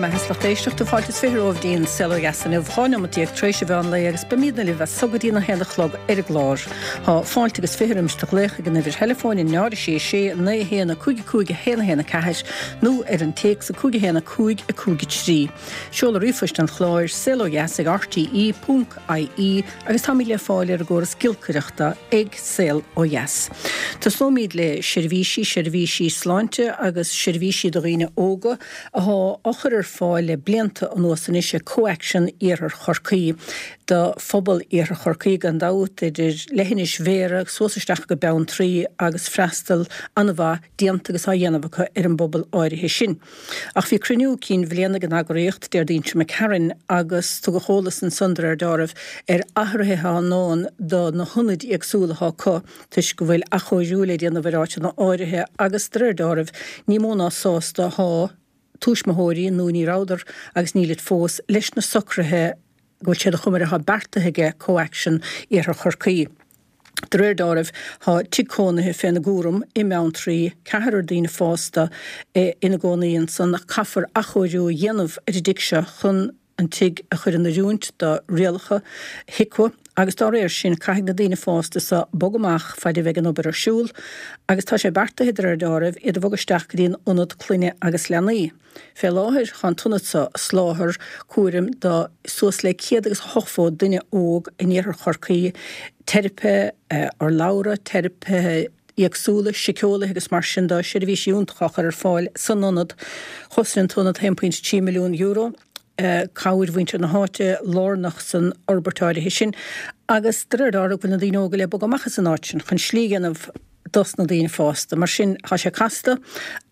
mbeatha is lucht éisteachta, fáilte is 20 romhaibh dtí'n Saol Ó Dheas inniu, 12 neomat tar éis an mheán lae agus beimídne libh as so go dtí'n 1 a chlog ar an gclár. Thá fáilte agus 20 roimis do ghlaoch ag an uimhir theileafóin 0 6 6 9 1 5 5 1 1 4 nó ar an téacs 5 1 5 5 3. Seoladh ríomhphoist an chláir, saolodheas ag rte ponc ie agus táimid le fáil ar an gcóras giolcaireachta ag Saol Ó Dheas. Tosnóimid le seirbhísí, seirbhísí sláinte agus seirbhísí do dhaoine óga athá á chur ar fáil le blianta anuas anois ag ComhAction Iarthar Chorcaí do phobal Iarthar Chorcaí gan dabht, idir leithinis Bhéarra suas isteach go Beanntraí agus freastal an-mhaith déanta agus á dhéanamh acu ar an bpobal áirithe sin. Ach bhí cruinniú cinn bhliana ag an eagraíocht Déardaoin seo imigh tharainn agus tugadh eolas ansan de réir deáraimh ar athruithe atá i ndán do na hionaid éagsúla atá acu toisc go bhfuil athchóiriú le déanamh ar áiteanna áirithe agus de réir deáraimh ní mó ná sásta athá tuismitheoirí, nó ní rabhadar agus nílid fós, leis na socruithe go bhfuil siad a chuma air athá beartaithe aige ComhAction Iarthar Chorcaí. De réir deáraimh, tá tigh cónaithe féna gcúram i mBeanntraí, ceathrar daoine fásta ina gcónaí ansan ach caithfear athchóiriú a dhéanamh ar an dtigh seo chun an tigh a chur in oiriúint do rialacha HIQA agus dá réir sin caithfidh na daoine fásta so bogadh amach faid a bheidh an obair ar siúl agus tá sé beartaithe de réir deáraimh iad a bhogadh isteach go dtí an Ionad Clainne agus Leanaí. Fé láthair, tá an t-ionad so ag soláthar cúraim do suas le 180 duine óg in iarthar Chorcaí, teiripithe urlabhra, teiripithe éagsúla, síceolaithe agus mar sin de, seirbhísí iontacha á chur ar fáil san ionad. Chosain an t-ionad €1.3 milliún. Cabhair mhuintir na háite lárnach san fhorbairt áirithe sin agus de réir dealraimh go bhfuil na daoine óga le bogadh amach as an áit sin chun slí a dhéanamh dos na daoine fásta. Mar sin, tá sé casta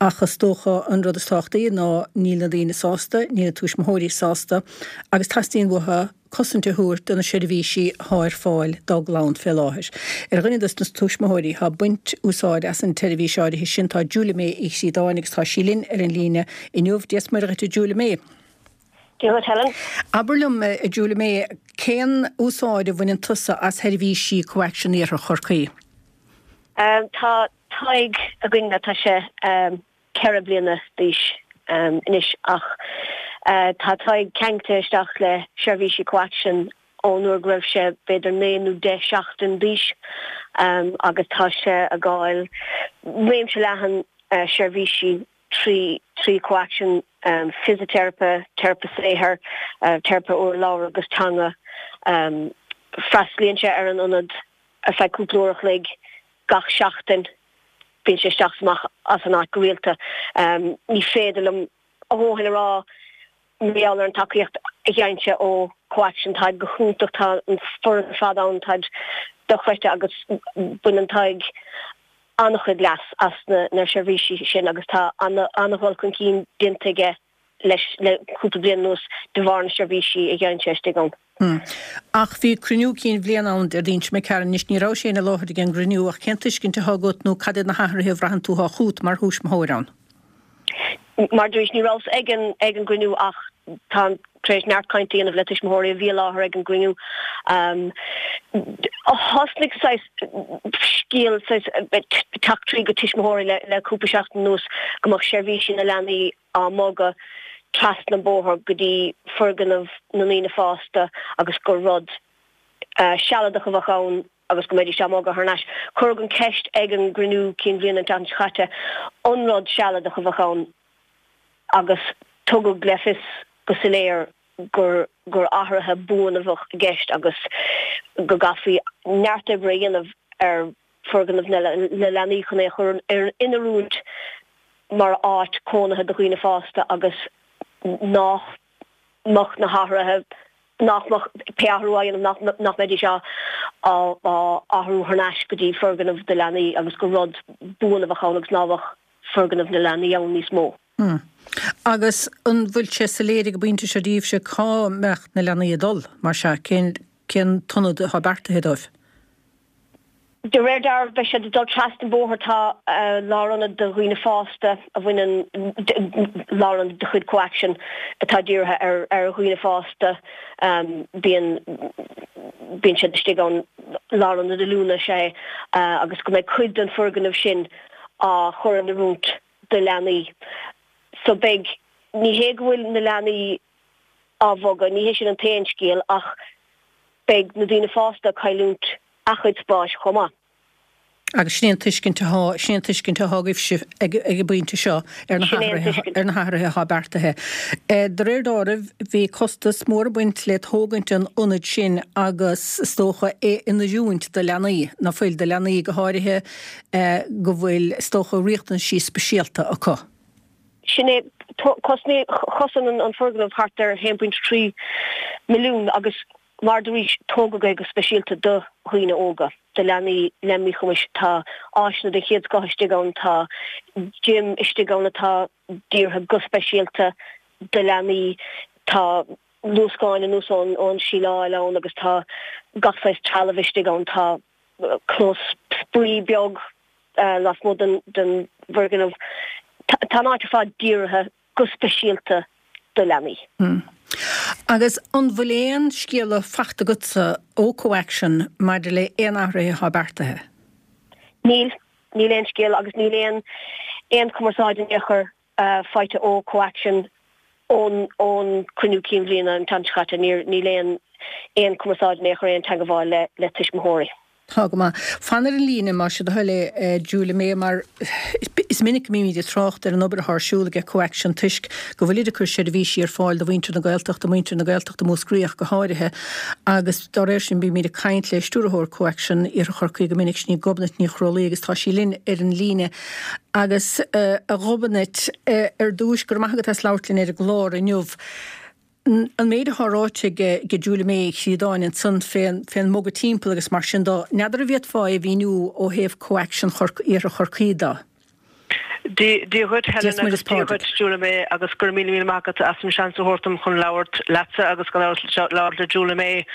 ach is dócha an rud is tábhachtaí ná níl na daoine sásta, níl na tuismitheoirí sásta agus teastaíonn uathu cosaint a thabhairt do na seirbhísí athá ar fáil dá gclann fé láthair. Ar dhuine dos na tuismitheoirí athá ag baint úsáid as an tseirbhís áirithe sin tá Julia May Uí Chríodáin agus tá sí linn ar an líne inniu. Dia 's Muire dhuit a Julia May. Dia dhuit Helen. Abair liom a Julia May, cén úsáid a bhaineann tusa as sheirbhísí ComhAction Iarthar Chorcaí? Tá Tadhg againn, tá sé 4 bliana d'aois anois ach tá Tadhg ceangailte isteach le seirbhísí ComhAction ón uair go raibh sé b'fhéidir 9 nó 10 seachtain d'aois agus tá sé ag fáil réimse leathan seirbhísí trí trí ComhAction, fisiteiripe, teiripe saothair, teiripe urlabhra agus teanga. Freastalaíonn sé ar an ionad ar feadh cúpla uair a chloig gach seachtain. Bíonn sé isteach is amach as an áit go rialta. Ní féidir liom a dhóthain a rá mar gheall ar an tacaíocht a gheibheann sé ó ComhAction. Táid go hiontach, tá an foireann ar fad ann, táid dochreidte agus baineann Tadhg an-chuid leas as na seirbhísí sin agus tá an-dhul chun cinn déanta aige leis le cúpla bliain anuas de bharr na seirbhísí a gheibheann sé istigh ann. Ach bhí cruinniú cinn bhliana ann Déardaoin seo imigh tharainn. Anois ní rabhais féin i láthair ag an gcruinniú ach cén tuiscint atá agat nó cad iad na hathruithe a bhraitheann tú atá chugat mar thuismitheoir ann? Mar a dúirt, ní rabhas ag an ag an gcruinniú ach táim tar éis neart cainte a dhéanamh le tuismitheoirí a bhí i láthair ag an gcruinniú. Thosnaigh saghas scéal saghas teacht tríd go tuismitheoirí le le cúpla seachtain anuas go mbeadh seirbhísí na leanaí á mbogadh trasna an bóthar go dtí foirgneamh na ndaoine fásta agus gur rud sealadach a bheadh ann agus go mbeidís á mbogadh thar n-ais. Cuireadh an cheist ag an gcruinniú cinn bhliana an tseachtain seo caite an rud sealadach a bheadh ann agus tugadh le fios go soiléir gur gur athruithe buana a bheadh i gceist agus go gcaithfí neart oibre a dhéanamh ar foirgneamh na leanaí chun é a chur in oiriúint mar áit cónaithe do dhaoine fásta agus nach mbeadh na hathruithe, nach mbeadh pé athrú á dhéanamh, nach mbeidís á athrú thar n-ais go dtí foirgneamh do leanaí agus gur rud buan a bheadh ann agus ná beadh foirgneamh na leanaí ann níos mó. Agus an bhfuil sé soiléir ag an bpointe seo daoibhse cá mbeadh na leanaí ag dul, mar sea, cén cén t-ionad atá beartaithe dóibh? De réir dealraimh beidh siad ag dul trasna an bóthar. Tá lárionad do dhaoine fásta a bhaineann, lárionad de chuid ComhAction atá dírithe ar dhaoine fásta. Bíonn, bíonn siad istigh ann, lárionad oiliúna is ea é, agus go mbeidh cuid den foirgneamh sin á chur in oiriúint do leanaí. So beidh. Ní hé go bhfuil na leanaí á bhogadh, ní hé sin an t-aon scéal ach beidh na daoine fásta ag cailliúint a chuid spáis chomh maith. Agus sin é an tuiscint atá, sin é an tuiscint atá agaibhse ag an bpointe seo ar na hathruithe, ar na hathruithe atá beartaithe. De réir dealraimh, bhí costas mór ag baint le tógaint an ionaid sin agus is dócha é in oiriúint do leanaí, ná fuil, do leanaí go háirithe go bhfuil, is dócha, riachtanaisí speisialta acu. Sin é, chosain an foirgneamh thart ar 1.3 milliún agus mar a dúraís, tógadh é go speisialta do dhaoine óga, do leanaí le míchumais. Tá áiseanna den chéad scoth istigh ann, tá gym istigh ann atá dírithe go speisialta do leanaí, tá luascáin anuas ón síleáil ann agus tá gach saghas trealamh istigh ann, tá clós spraoi beag lasmuigh den bhfoirgneamh. Tá an áit ar fad dírithe go speisialta do leanaí. Agus an bhfuil aon scéala fachta agatsa ó CoAction maidir le aon athruithe atá beartaithe? Níl. Níl aon scéala agus níl aon aon chumarsáid in aon chor faighte ó CoAction ón ón cruinniú cinn bhliana an tseachtain seo caite. Níl aon aon chumarsáid in aon chor, aon teagmháil le le tuismitheoirí. Tá go maith. Fan ar an líne, más é do thoil é, Julia May, mar is minic go mbímid ag trácht ar an obair atá ar siúl ag CoAction toisc go bhfuilid ag cur seirbhísí ar fáil do mhuintir na Gaeltachta, muintir na Gaeltachta Mhúscraí ach go háirithe, agus dá réir sin bímid ag caint le Stiúrthóir CoAction Iarthar Chorcaí go minic, sin í Gobnait Ní Chrólaí agus tá sí linn ar an líne. Agus, a Ghobnait, ar dtúis, go raibh maith agat as labhairt linn ar an gclár inniu. An méid atá ráite ag Julia May Uí Chríodáin ansan fén mbogadh timpeall agus mar sin do, n'fheadar an bhféadfá é a mhíniú ó thaobh CoAction Iarthar Chorcaí do? Dia dhuit Helen agus Dia dhuit Julia May agus go raibh míle míle maith agat as an seans a thabhairt dom chun labhairt leatsa agus gan amhras labhairt le Julia May.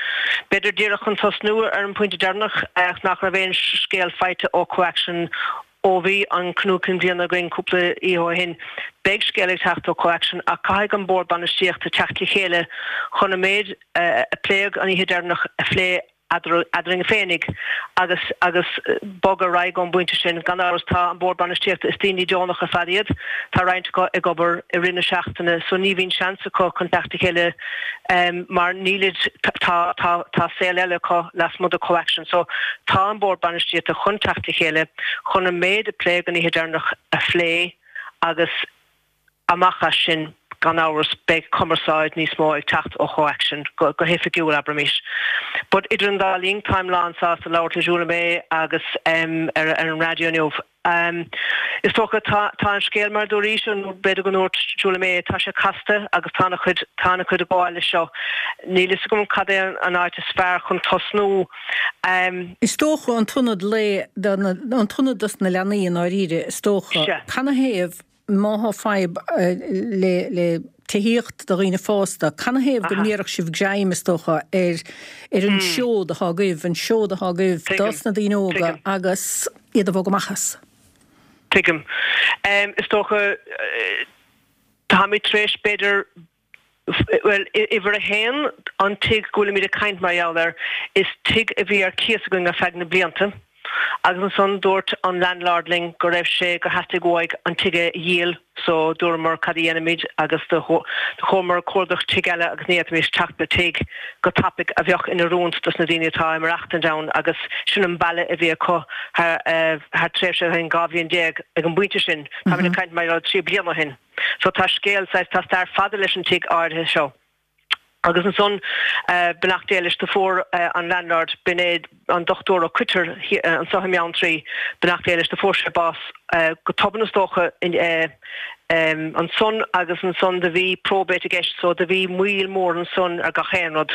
B'fhéidir díreach chun tosnú ar an bpointe deireanach nach raibh aon scéal faighte ó CoAction Ó bhí an cruinniú cinn bhliana againn cúpla oíche ó shin, beidh scéal ag teacht ó CoAction ach caithfidh an Bord Bainistíochta teacht le chéile chun an méid a pléadh an oíche deireanach a phlé eadrainn féinig agus agus bogadh ar aghaidh ón bpointe sin. Gan amhras tá an Bord Bainistíochta, is daoine deonach ar fad iad, tá roinnt acu ag obair i rith na seachtaine so ní bhíonn seans acu chun teacht le chéile mar nílid, tá, tá, tá saol eile acu lasmuigh de CoAction. So, tá an Bord Bainistíochta chun teacht le chéile chun an méid a pléadh an oíche deireanach a phlé agus amach as sin, gan amhras, beidh cumarsáid níos mó ag teacht ó CoAction, go, go hoifigiúil, abraimis. But idir an dá linn, táim lán sásta labhairt le Julia May agus ar, ar an raidió inniu. Is dócha, tá tá an scéal mar a dúraís, nó b'fhéidir go ndúirt Julia May, tá sé casta agus tá ana chuid, tá ana chuid ag gabháil leis seo. Níl fhios agam cad é an áit is fearr chun tosnú. Is dócha an t-ionad lae, an t-ionad dos na leanaí i ndáiríre, is dócha. Sea. Canathaobh Má thá fadhb le le tithíocht do dhaoine fásta, canathaobh go n-iarrfadh sibh greim, is dócha, ar ar an seod athá agaibh, an seod athá agaibh dos na daoine óga agus iad a bhogadh amach as? Tuigim. Is dócha, táimid tar éis, b'fhéidir, Bhuel, uimhir a haon, an tigh go bhfuilimid ag caint mar gheall air, is tigh a bhí ar cíos againn ar feadh na blianta agus ansan dúirt an landlord linn go raibh sé, gur theastaigh uaidh an tigh a dhíol so dúramar cad a dhéanfaimid agus do chuamar ag cuardach tigh eile agus ní fhéadfaimis teacht le tigh go tapaidh a bheadh in oiriúint dos na daoine atá ag maireachtaint ann agus sin an baile a bhí acu thar thar tréimhse 12 bhliain ag an bpointe sin, táimid ag caint mar gheall ar 3 bliana ó shin. So tá scéal, saghas, tá stair fada leis an tigh áirithe seo. Agus ansan, beannacht Dé leis, do fuair an landlord, b'in é an Dochtúir Ó Coitir anso i mBeanntraí, beannacht Dé leis, do fuair sé bás go tobann is dócha ansan agus ansan do bhí probate i gceist so do bhí moill mór ansan ar gach aon rud.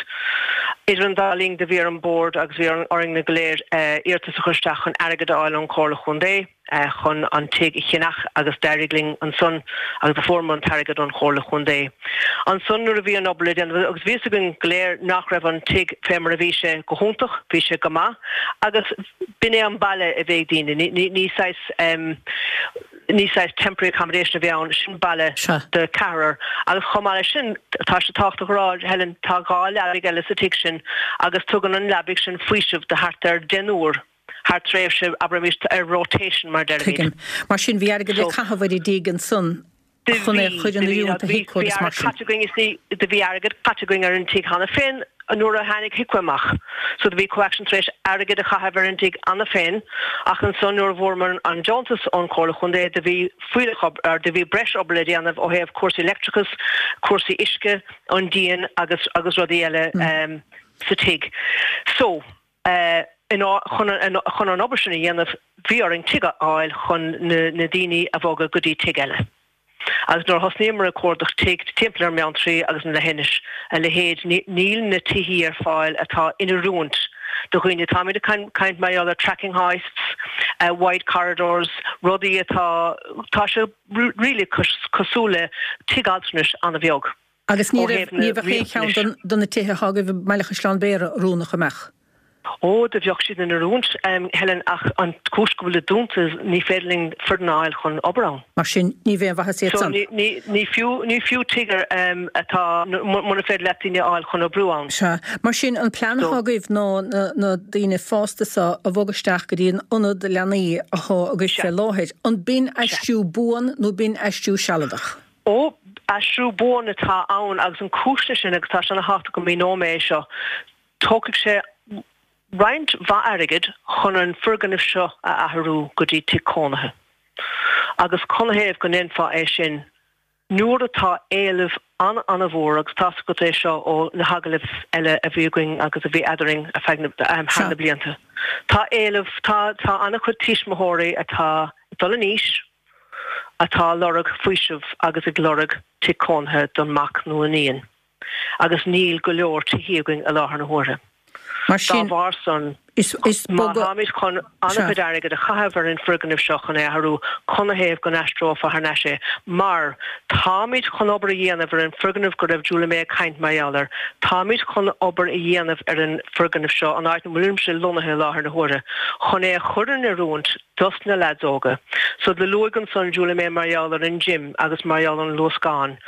Idir an dá linn do bhí ar an Bord agus bhí orainn go léir iarratas a chur isteach chun airgead a fháil ón Chomhairle Chontae. chun an tigh a cheannach agus d'éirigh linn ansan agus do fuaireamar an t-airgead ón Chomhairle Chontae. Ansan nuair a bhí an obair le déanamh agus bhí fhios againn go léir nach raibh an tigh fé mar a bhí sé go hiontach, bhí sé go maith agus b'in é an baile a bhí ag daoine, ní, ní saghas, ní saghas temporary accommodation a bhí ann, sin baile do ceathrar agus chomh maith leis sin tá sé tábhachtach a rá, Helen, tá dhá leabaidh eile sa tigh sin agus tugann an leabaidh sin faoiseamh do thart ar deichniúr. thar tréimhse, abraimis, ar rotation mar a deirimid. Tuigim. Mar sin, bhí airgead le caitheamh ar an dtigh ansan. chun é a chur in oiriúint do HIQA agus mar sin. Do bhí airgead caite againn ar an tigh cheana féin nuair a tháinig HIQA amach. So do bhí CoAction tar éis airgead a chaitheamh ar an dtigh cheana féin ach ansan nuair a bhfuaireamar an deontas ón Chomhairle Chontae do bhí fuílleach obair, do bhí breis obair le déanamh ó thaobh cúrsaí leictreachais, cúrsaí uisce, an díon agus agus rudaí eile sa tigh. So chun an obair sin a dhéanamh bhí orainn tigh a fháil chun na daoine a bhogadh go dtí tigh eile. Agus nuair a thosnaíomar ag cuardach tigh timpeall ar Bheanntraí agus na Leithinis, a leithéid, níl na tithí ar fáil atá in oiriúint do dhaoine. Táimid ag caint mar gheall ar tracking hoists, wide corridors, rudaí atá, tá sé really cosúil le tigh altranais an-bheag. Agus ní raibh, ní bheadh aon cheann de na tithe atá agaibh i mBaile Chaisleáin Bhéarra oiriúnach, an mbeadh? Ó, do bheadh siad in oiriúint, Helen, ach an chúis go bhfuilid dúnta, ní féidir linn foireann a fháil chun obair ann. Mar sin, ní bheidh aon mhaitheas iad san. So, ní, ní fiú, ní fiú tigh atá, muna féidir leat daoine a fháil chun oibriú ann. Sea. Mar sin, an plean atá agaibh ná na, na daoine fásta so a bhogadh isteach go dtí an ionad leanaí atá agaibh fé láthair. An b'in aistriú buan nó b'in aistriú sealadach? Ó, aistriú buan atá ann agus an cúis leis sin, agus tá sé ana-thábhachtach go míneoidh mé é seo, tógfaidh sé roinnt mhaith airgid chun an foirgneamh seo a athrú go dtí tigh cónaithe. Agus canathaobh go ndéanfá é sin nuair atá éileamh an-an-mhór, agus tá's agat é seo ó na hagallaimh eile a bhí againn agus a bhí eadarainn ar feadh na, thar na blianta. Tá éileamh, tá, tá an-chuid tuismitheoirí atá ag dul in aois, atá ag lorg faoiseamh agus ag lorg tigh cónaithe don mac nó iníon agus níl go leor tithí againn i láthair na huaire. Mar Dá sin, bharr san, is, is má bogadh, táimid chun sea. an-chuid airgid a chaitheamh ar an foirgneamh seo chun é a athrú, canathaobh go n-aistreofá thar n-ais é? Mar táimid chun obair a dhéanamh ar an foirgneamh go raibh Julia May ag caint mar gheall air, táimid chun obair a dhéanamh ar an foirgneamh seo, an áit ina bhfuilimse lonnaithe i láthair na huaire, chun é a chur in oiriúint dos na leaids óga. So do luaigh ansan Julia May mar gheall ar an gym agus mar gheall ar an luascán.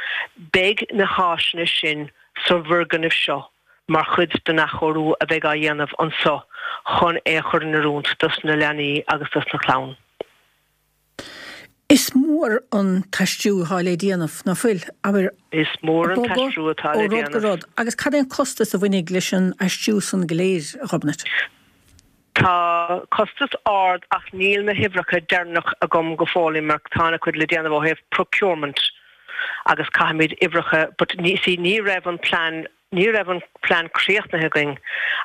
Beidh na háiseanna sin sa bhfoirgneamh seo mar chuid den athchóiriú a bheidh á dhéanamh anso chun é a chur in oiriúint dos na leanaí agus dos na clann. Is mór an t-aistriú atá le déanamh, ná fuil? Abair, Is mór an bogadh t-aistriú atá ó le rud go déanamh. rud. Agus cad é an costas a bhainfidh leis an aistriú san go léir, a Ghobnait? Tá costas ard ach níl na huimhreacha deireanach agam go fóill mar tá an-chuid le déanamh ó thaobh procurement agus caithfimid uimhreacha but ní see ní raibh an plean ní raibh an plean críochnaithe againn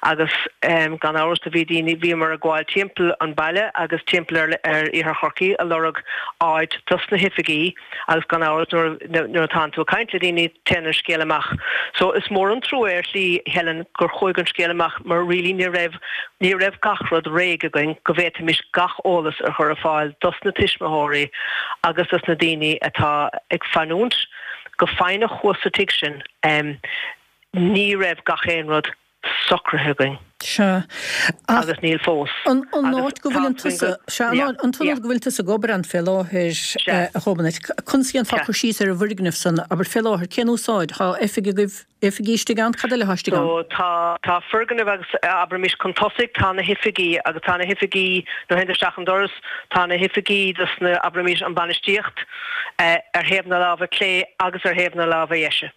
agus gan amhras do bhí daoine bhíomar ag gabháil timpeall an baile agus timpeall ar ar iarthar Chorcaí a lorg áit dos na hoifigí agus gan amhras nuair nuair atánn tú ag caint le daoine téann an scéal amach. So is mór an trua ar shlí, Helen, gur chuaigh an scéal amach mar really ní raibh, ní raibh gach rud réidh againn go bhféadfaimis gach eolas a chur ar fáil dos na tuismitheoirí agus dos na daoine atá ag fanúint go foighneach thuas sa tigh sin. Ní raibh gach aon rud socraithe againn. Sea. Ach. Agus níl fós. An áit go bhfuileann tusa, sea, an t-ionad go bhfuil tusa ag obair ann fé láthair, a Ghobnait, conas a dhéanfá cur síos ar an bhfoirgneamh san, abair, fé láthair, cén úsáid? Tá oifig agaibh, oifigí istigh ann, cad eile atá istigh ann? So, tá, tá foirgneamh agus, abraimis, chun tosaigh, tá na hoifigí agus tá na hoifigí, nuair a théann tú isteach an doras, tá na hoifigí dos na, abraimis, an bainistíocht, ar thaobh na láimhe clé agus ar thaobh na láimhe dheise.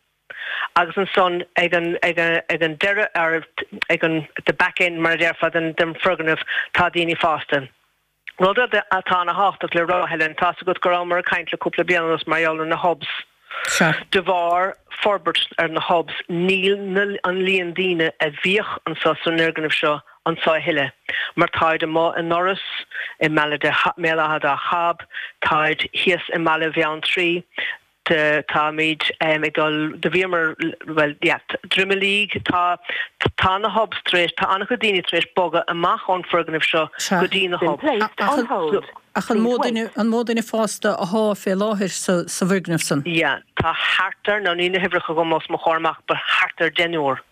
Agus ansan ag an, ag an, ag an deireadh, or ag an, the back end mar a déarfá den, den foirgneamh, tá daoine fásta. Rud atá ana-thábhachtach le rá, Helen, tá's agat go rabhamar ag caint le cúpla bliain anuas mar gheall ar na hubs. Sea. De bharr forbairt ar na hubs, níl na, an líon daoine a bhíodh anso san fhoirgneamh seo anso a thuilleadh, mar táid amuigh i nDurlas, i mBaile mBéal Átha Dá Chab, táid thíos i mBaile Bheanntraí, táimid ag dul, do bhíomar, bhuel, yeah, Droim a Líg, tá, tá na hubs tar éis, tá an-chuid daoine tar éis bogadh amach ón foirgneamh seo go dtí na hubs. Ach an mó duine, an mó duine fásta athá fé láthair sa, sa bhfoirgneamh san? Yeah, tá thart ar, now níl na huimhreacha agam os mo chomhair amach, but thart ar deichniúr.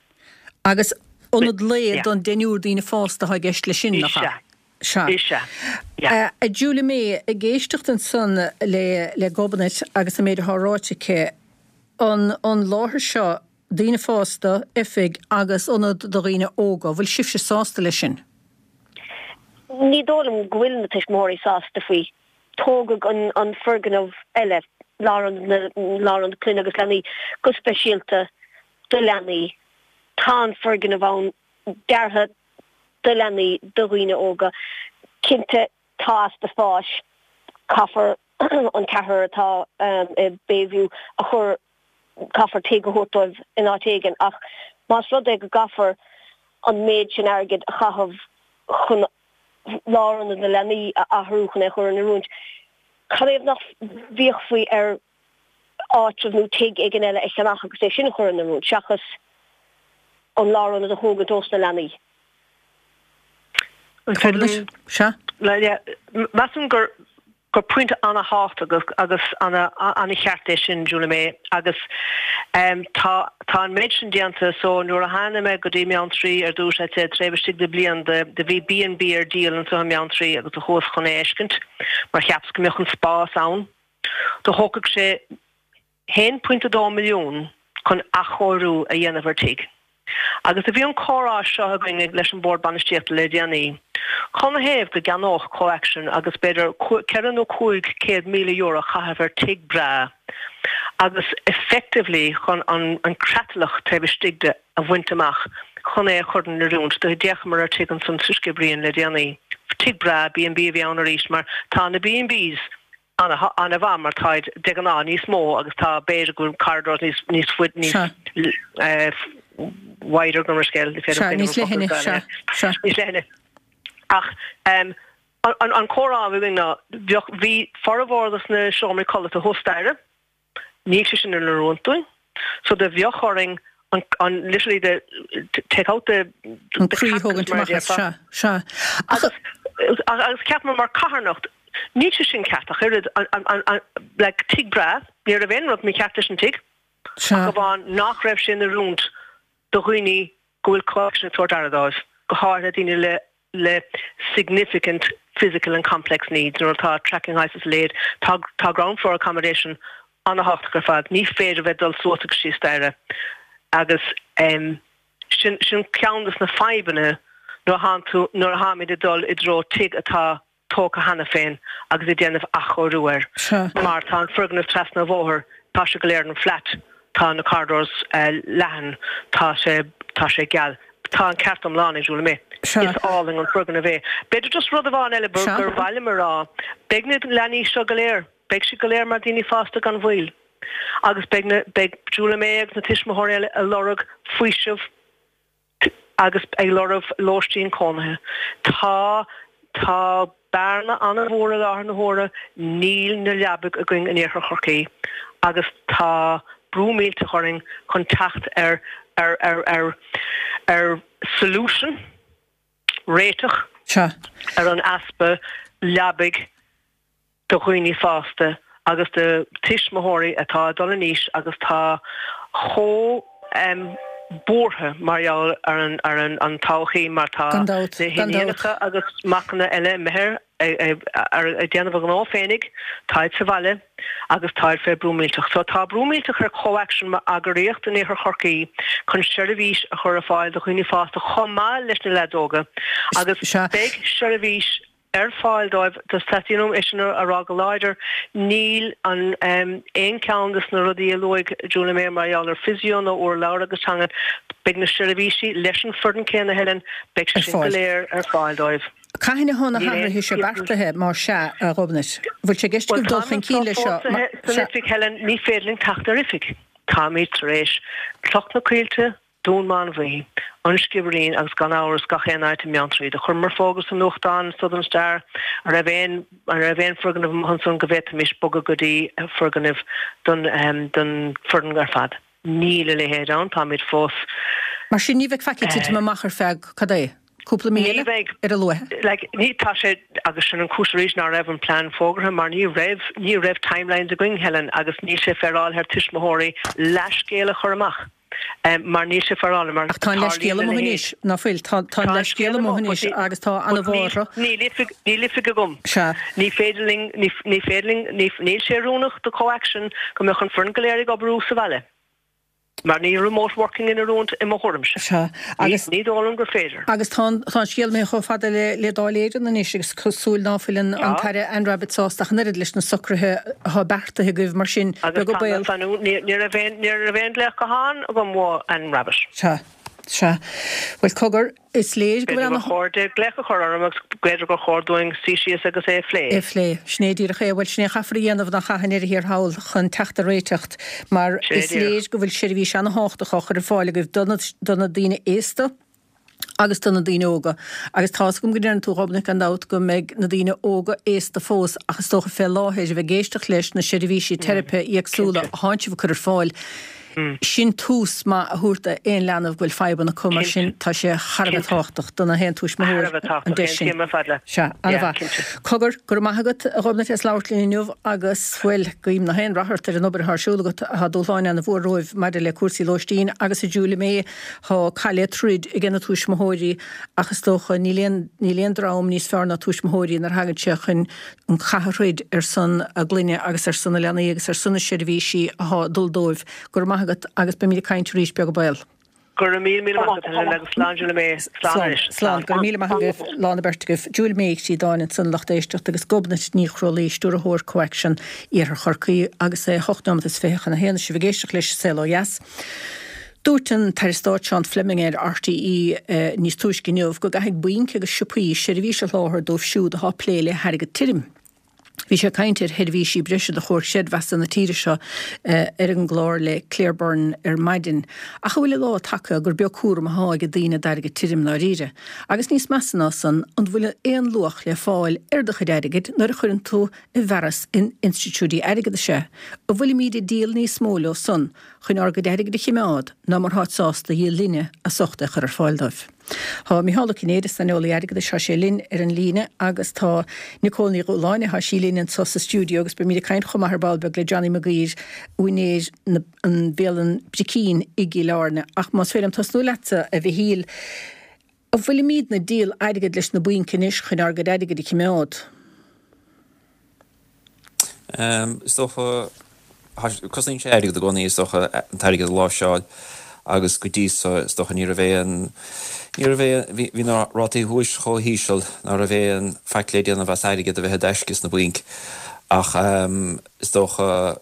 Agus ionad lae don deichniúr daoine fásta athá i gceist leis sin, nach ea? Is ea. Sea. Is ea. Yeah. A Julia May, ag éisteacht ansan le le Gobnait agus an méid athá ráite aici, an an láthair seo, daoine fásta, oifig agus ionad do dhaoine óga, bhfuil sibhse sásta leis sin? Ní dóigh liom go bhfuil na tuismitheoirí sásta faoi. Tógadh an an foirgneamh eile. Lárionad na Lárionad Clainne agus Leanaí go speisialta do leanaí. Tá an foirgneamh ann deartha do leanaí, do dhaoine óga. Cinnte tá easpa spáis, caithfear an ceathrar atá i Bayview a chur, caithfear tigh a thabhairt dóibh in áit éigin ach más rud é go gcaithfear an méid sin airgid a chaitheamh chun lárionad na leanaí a athrú chun é a chur in oiriúint, cad é nach bhféachfaí ar áitreabh nó tigh éigin eile a cheannach agus é sin a chur in oiriúint seachas an lárionad a thógaint ós na leanaí? Sea. Measaim gur gur pointe ana-thábhachtach agus ana-cheart é sin, Julie May, agus tá tá an méid sin déanta so nuair a tháinig mé go dtí Beanntraí ar dtús, I'd say taobh istigh de bliain do do bhí B and B ar díol anso i mBeanntraí agus do chuas chun é a fheiscint mar cheapas go mbeadh an spás ann. Do thógfadh sé 1.2 milliún chun athchóiriú a dhéanamh ar tigh. Agus do bhí an comhrá seo againn leis an Bhord Bainistíochta le déanaí. Canathaobh go gceannódh CoAction agus b'fhéidir €400 nó €500,000 a chaitheamh ar tigh breá agus effectively chun an creatlach taobh istigh de a bhaint amach chun é a chur in oiriúint. Do d'fhéachamar ar tigh ansan sa Sciobairín le déanaí. Tigh breá, B&B a bhí ann arís mar tá na B&Bs an-mhaith mar táid de ghnáth níos mó agus tá b'fhéidir go bhfuil corridors níos níos faide níos wider gabh mo leithscéal ní féidir níos leithne sea sea níos leithne ach an an comhrá a bhí againn ná bheadh bhí formhór dos na seomraí codlata thuas staighre Níl sé sin in oiriúint dúinn. So do bheadh orainn an, an, literally the, take out the, the croí a thógaint amach as, sea, sea. Ach, agus, agus cheapamar mar carthanacht, níl sé sin ceart ach oiread, an, an, an, an, like, tigh breá, ní raibh aon rud mícheart leis an tigh, sea. ach amháin nach raibh sé in oiriúint do dhaoine go bhfuil CoAction ag tabhairt aire dóibh, go háirithe daoine le le significant physical and complex needs nuair atá tracking hoist is a leithéid. Tá tá ground floor accommodation an-thábhachtach ar fad. Ní féidir bheith ag dul suas agus síos staighre agus em sin sin ceann de na fadhbanna nuair a thánn tú nuair a tháimid ag dul i dtreo tigh atá tógtha cheana féin agus ag déanamh athchóiriú air. Mar tá an foirgneamh trasna an bhóthair, tá sé go léir in flat, tá na corridors leathan, tá sé, tá sé geal. Tá an ceart iomlán ag Julie May. Is álainn an foirgneamh é. B'fhéidir just rud amháin eile gur mhaith liom a rá, beidh na leanaí seo go léir, beidh siad go léir mar daoine fásta gan mhoill. Agus beidh na, beidh Julie May agus na tuismitheoirí eile ag lorg faoiseamh, agus ag lorg lóistín cónaithe. Tá tá bearna an-mhór i láthair na huaire, níl na leabaidh againn in Iarthar Chorcaí agus tá brú millteach orainn chun teacht ar ar ar ar ar solution, réiteach ar an easpa leabaidh. do dhaoine fásta agus do tuismitheoirí atá ag dul in aois agus tá chomh buartha mar gheall ar an ar an an todhchaí mar tá Gan dabht, na gan dabht. hiníonacha agus macanna eile imithe ar ar ag déanamh a ngnó féinig, táid sa bhaile agus táid fé brú millteach. So tá brú millteach ar CoAction mar eagraíocht in Iarthar Chorcaí chun seirbhís a chur ar fáil do dhaoine fásta chomh maith leis na leaids óga agus Sea. beidh seirbhís ar fáil dóibh. Teastaíonn uaim é sin a rá go láidir, níl an aon cheann de na rudaí a luaigh Julie May mar gheall ar physio nó urlabhra agus teanga, beidh na seirbhísí leis an foireann céanna, Helen, beidh sé Ar sin go fáil. léir ar fáil dóibh. Cathain atá na Níl aon hathruithe seo beartaithe, más sea, a Ghobnait? Bhfuil sé i gceist Bhuel, agaibh dul táim chun anseo cinn leis seo? fós san Sea. oifig, Helen, ní féidir linn teacht ar oifig. Táimid tar éis Cloch na Coillte, Dún Mánmhaí, An Sciobairín agus gan amhras gach aon áit i mBeanntraí. Do chuireamar fógra sa nuachtán, Southern Star, an raibh aon an raibh aon foirgneamh amuigh ansan go bhféadfaimis bogadh go dtí foirgneamh don don foireann ar fad. Níl a leithéid ann, táimid fós. Mar sin ní bheidh faic ag titim amach ar feadh, cad é, cúpla mí Ní eile, bheidh. ar a luaithe? Like, ní, tá sé, agus sin an cúis arís ná raibh an plean fógartha mar ní raibh, ní raibh timelines againn, Helen, agus níl sé féaráilte ar tuismitheoirí leathscéal a chur amach. Mar níl sé féaráilte mar Ach tá an leithscéal tarlaíonn a amuigh leithéid. anois, ná fuil? Tá tá an Tá an leithscéal scéal amuigh amuigh, but anois ní, agus tá but níl, ana-bhuartha. níl oifig, níl oifig agam. Sea. Ní féidir linn, ní, ní féidir linn, ní, níl sé oiriúnach do CoAction go mbeadh an foireann go léir ag oibriú sa bhaile. Mar níl remote working in oiriúint i mo thuairimse. Sea. Agus. Ní dóigh liom gur féidir. Agus tá an, tá an scéal imithe chomh fada le, le Dáil Éireann anois agus cosúil ná fuil an, an tAire Anne Rabbitte sásta ach an oiread leis na socruithe atá beartaithe agaibh mar sin, Agus beag an tá baol. mé fan, ní, ní raibh aon, ní raibh aon glaoch gutháin agam ó Anne Rabbitte. Sea. Sea. Bhuel, cogar, is léir go B'fhéidir bhfuil gur chóir di glaoch a chur orm agus b'fhéidir gur chóir dúinn suí síos agus é a phlé. É a phlé. Sin é díreach é. Bhuel, sin é a chaithfear a dhéanamh nach ea i ndeireadh thiar thall chun teacht ar réiteach mar Sin é is díreach. léir go bhfuil seirbhís ana-thábhachtach á chur ar fáil agaibh do na, do na daoine aosta agus do na daoine óga. Agus tá's agam go ndeireann tú, a Ghobnait, gan dabht, go mbeidh na daoine óga aosta fós ach is dócha fé láthair a bheith ag éisteacht leis na seirbhísí teiripe éagsúla Cinnte. a thánn sibh ag cur ar fáil. Sin tús maith a thabhairt d'aon leanbh go bhfuil fadhbanna acu, mar sin tá sé thar a bheith tábhachtach do na haon tuismitheoir an deis sin. Sea, an-mhaith. Cogar, go raibh maith agat, a Ghobnait, as labhairt linn inniu agus, bhuel, guím na haon rath ort ar an obair atá ar siúl agat. Tá dúshláin ana-mhór romhaibh maidir le cúrsaí lóistín agus a Julia May, tá cath le troid ag na tuismitheoirí ach is dócha níl aon, níl aon dream níos fearr ná tuismitheoirí nuair a thagann sé chun an cath a throid ar son a gclainne agus ar son na leanaí agus ar son na seirbhísí athá ag dul dóibh. Go raibh maith agat agus beimid ag caint arís, beag an baol. Go raibh míle míle maith agat Helen agus slán Julia May. Slán anois. Slán. Go raibh míle maith agaibh, lán an bheirt agaibh. Julia May Uí Chríodáin ansan a lucht éisteachta agus Gobnait Ní Chrólaí, Stiúrthóir CoAction Iarthar Chorcaí agus é 8 nóiméad is 20 chun a haon is sibh ag éisteacht leis Saol Ó Dheas. Dúirt an tAire Stáit Seán Fleming ar RTÉ níos túisce inniu go gcaithfidh bainc agus siopaí seirbhís a sholáthar dóibh siúd atá ag plé le hairgead tirim. Bhí sé ag caint ar sheirbhísí breise do Chomhar Creidmheasa na tíre seo ar an gclár le Claire Byrne ar maidin. Ach an bhfuil an lá tagtha gur beag cúram athá ag daoine d'airgead tirim ndáiríre? Agus níos measa ná san, an bhfuil aon luach le fáil ar do chuid airgid nuair a chuireann tú i bhfearas in institiúidí airgeadais é? An bhfuilimíd ag díol níos mó leo san chun ár gcuid airgid a chimeád ná mar tháid sásta a dhíol linne as ucht é chur ar fáil dóibh. Tá Micheál Ó Cinnéide, saineolaí airgeadais, tá sé linn ar an líne agus tá Nicole Ní Dhúshláine, tá sí linn anso sa stiúideo agus beimid ag caint chomh maith ar ball beag le Johnny Maguire, úinéir na an bhialann Bricín i gCill Airne. Ach más féidir liom tosnú leatsa, a Mhichíl, an bhfuilimídne ag díol airgid leis na bainc anois chun ár gcuid airgid a chimeád? Is dócha, cosnaíonn sé airgead i gcónaí, is dócha, an t-airgead a láimhseáil agus go dtí so, is dócha, ní raibh aon, ní raibh aon, bhí, bhí na rátaí úis chomh híseal ná raibh aon faic le déanamh as airgead a bheith i dtaisce sna bainc ach is dócha,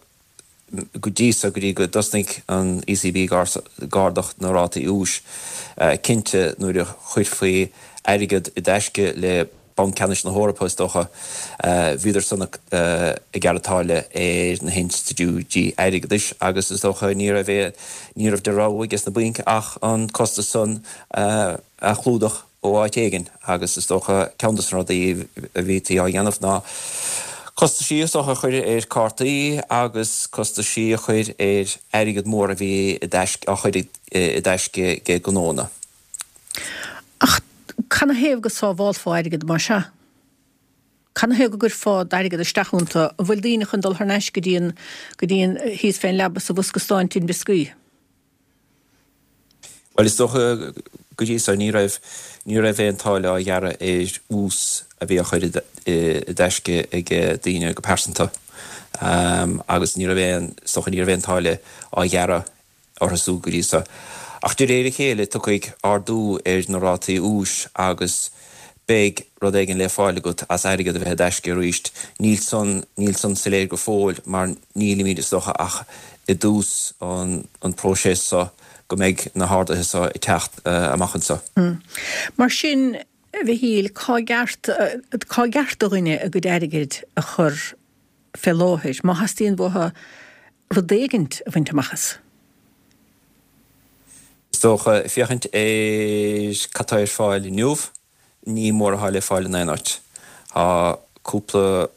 go dtí so, go dtí go dtosnaigh an ECB ag ardach na rátaí úis, cinnte nuair a chuirfí airgead i dtaisce le Banc Ceannais na hEorpa, is dócha, bhíodar san ag gearradh táille ar na hinstitiúidí airgeadais agus is dócha ní raibh aon, ní raibh de rogha ages na bainc ach an costas san a chlúdach. ó áit éigin agus is dócha ceann dos na rudaí a bhítí á dhéanamh ná costaisí is dócha a chur ar cártaí agus costaisí a chur ar airgead mór a bhí i dtaisce, á chur i dtaisce ag gnóanna. Ach canathaobh go sábhálfá airgead más ea? Canathaobh go gcuirfeá d'airgead isteach iontu? An bhfuil daoine chun dul thar n-ais go dtí an, go dtí an, thíos fén leaba sa bhosca stáin tin brioscaí? Bhuel, is dócha go dtí so ní raibh, ní raibh aon táille á ghearradh ar ús a bhí á chur i dtaisce ag daoine go pearsanta agus ní raibh aon, is dócha ní raibh aon táille á ghearradh orthu siúd go dtí so. Ach de réir a chéile tiocfaidh ardú ar na rátaí úis agus beidh rud éigin le fáil agat as airgead a bheith i dtaisce arís. Níl san, níl san soiléir go fóill mar nílimid is dócha ach i dtús an próiseas so go mbeidh na harduithe so ag teacht amach anseo. Mar sin, a Mhichíl, cá gceart, cá gceart do dhuine a gcuid airgid a chur fé láthair, má theastaíonn uathu rud éigint a bhaint amach as? Is dócha, féachaint ar cad tá ar fáil inniu, ní mór atá le fáil in aon áit. Tá cúpla,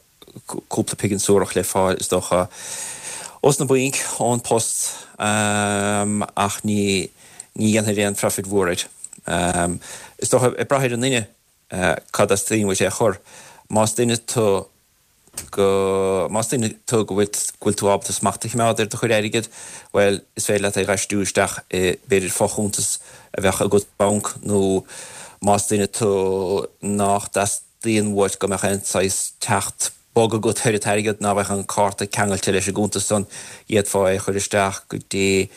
cúpla pingin suarach le fáil, is dócha, ós na bainc, ón post, ach ní, ní dhéanfair aon phroifid mhór air. Is dócha, ag brath ar an nduine, cad a theastaíonn uait é a chur. Más duine tú go, más duine tú go bhfuil, go bhfuil tú ábalta smacht a choimeád ar do chuid airgid, bhuel, is féidir leat é a aistriú isteach i, b'fhéidir, fochuntas a bheadh agat sa bhanc nó más duine tú nach dteastaíonn uait go mbeadh aon saghas teacht bog agat ar an t-airgead, ná beadh an cárta ceangailte leis an gcuntas san, d'fhéadfá é a chur isteach go dtí.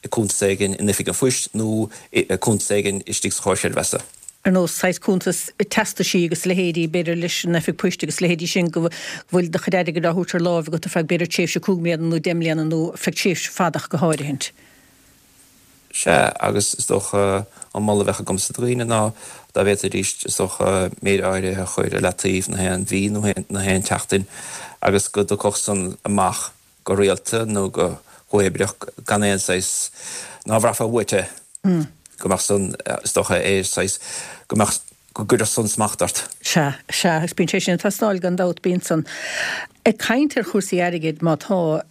i cuntas éigin in Oifig an Phoist nó i cuntas éigin istigh sa Chomhar Creidmheasa. Ar nós saghas cuntas teastaisí agus a leithéidí, b'fhéidir, leis an Oifig Poist agus a leithéidí sin, go bhfuil do chuid airgid á thabhairt ar láimh agat ar feadh b'fhéidir tréimhse 5 mbliana nó 10 mbliana nó ar feadh tréimhse fada ach go háirithint. Sea, agus is dócha an moladh a bheadh agamsa do dhaoine ná dá bhféadfaidís, is dócha, méid áirithe a chur i leataobh na haon mhí nó na haon tseachtain agus go dtiocfadh san amach go rialta nó go huathoibríoch gan aon saghas, ná bhraithfeá uait é, go mbeadh san, is dócha, ar saghas, go mbeadh, go gcuirfeadh san smacht ort. Sea, sea, agus bíonn sé sin ag teastáil gan dabht, bíonn san. Ag caint ar chúrsaí airgid, má tá,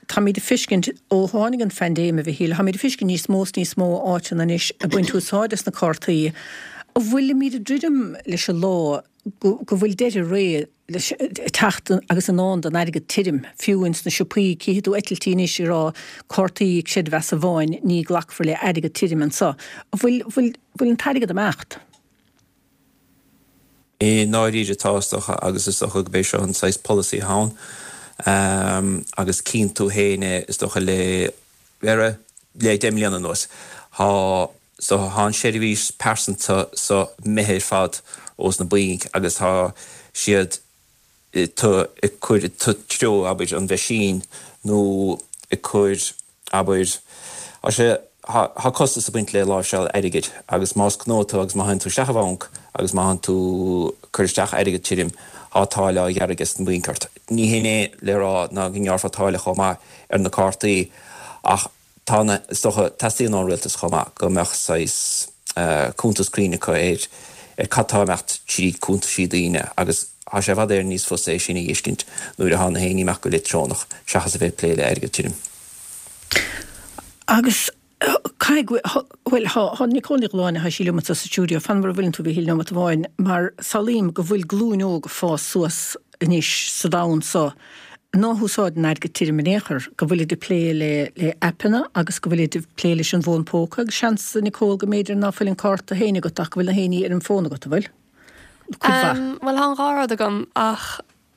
Táimid ag feiscint, ó tháinig an phaindéim, a Mhichíl, táimid ag feiscint níos mó is níos mó áiteanna anois ag baint úsáid as na cártaí. An bhfuilimid ag druidim leis an lá go go bhfuil deireadh ré leis ag teacht agus i ndán don airgead tirim, fiú ins na siopaí, cífidh tú eitiltí anois ag rá cártaí creidmheasa amháin, ní glacfar le airgead tirim anseo. An bhfuil, bhfuil, bhfuil an t-airgead ag imeacht? I ndáiríre tá, is dócha, agus is dócha gurb é seo an saghas polasaí atá ann agus cíonn tú féin é, is dócha, le le le deich mbliana anuas. Tá, is dócha, tá an seirbhís pearsanta so imithe ar fad ós na bainc agus tá siad ag cur i dtreo, abair, an mheaisín nó ag cur, abair, tá sé, tá costas ag baint le láimhseáil airgid agus más gnó tú agus má théann tú isteach i bhanc agus má théann tú ag cur isteach airgead tirim, tá táille á ghearradh ages na bainc ort. Ní hin é le rá ná go ngearrfá táille chomh maith ar na cártaí ach Tá na, is dócha, teastaíonn ón rialtas chomh maith go mbeadh saghas cuntas cruinn acu ar ar cad tá ag imeacht tríd cuntaisí daoine agus tá sé i bhfad Éireann níos fusa é sin a fheiscint nuair atá na héinní ag imeacht go leictreonach seachas a bheith ag plé le airgead tirim. Agus caithfidh go, bhuel, tá Nicole Ní Ghiolláin, tá sí liom anseo sa stiúideo, fan mar a bhfuileann tú, a Mhichíl, nóimeat amháin, mar samhlaím go bhfuil glúin óg ag fás suas anois sa domhan so ná húsáideann airgead tirim in aon chor, go bhfuilid ag plé le le aipeanna agus go bhfuilid ag plé leis an bhfón póca agus seans, a Nicole, go mb'fhéidir ná fuil an cárta féin agat ach go bhfuil na héinní ar an bhfón agat, an bhfuil? Cuid mhaith. Bhuel, tá an dhá rud agam ach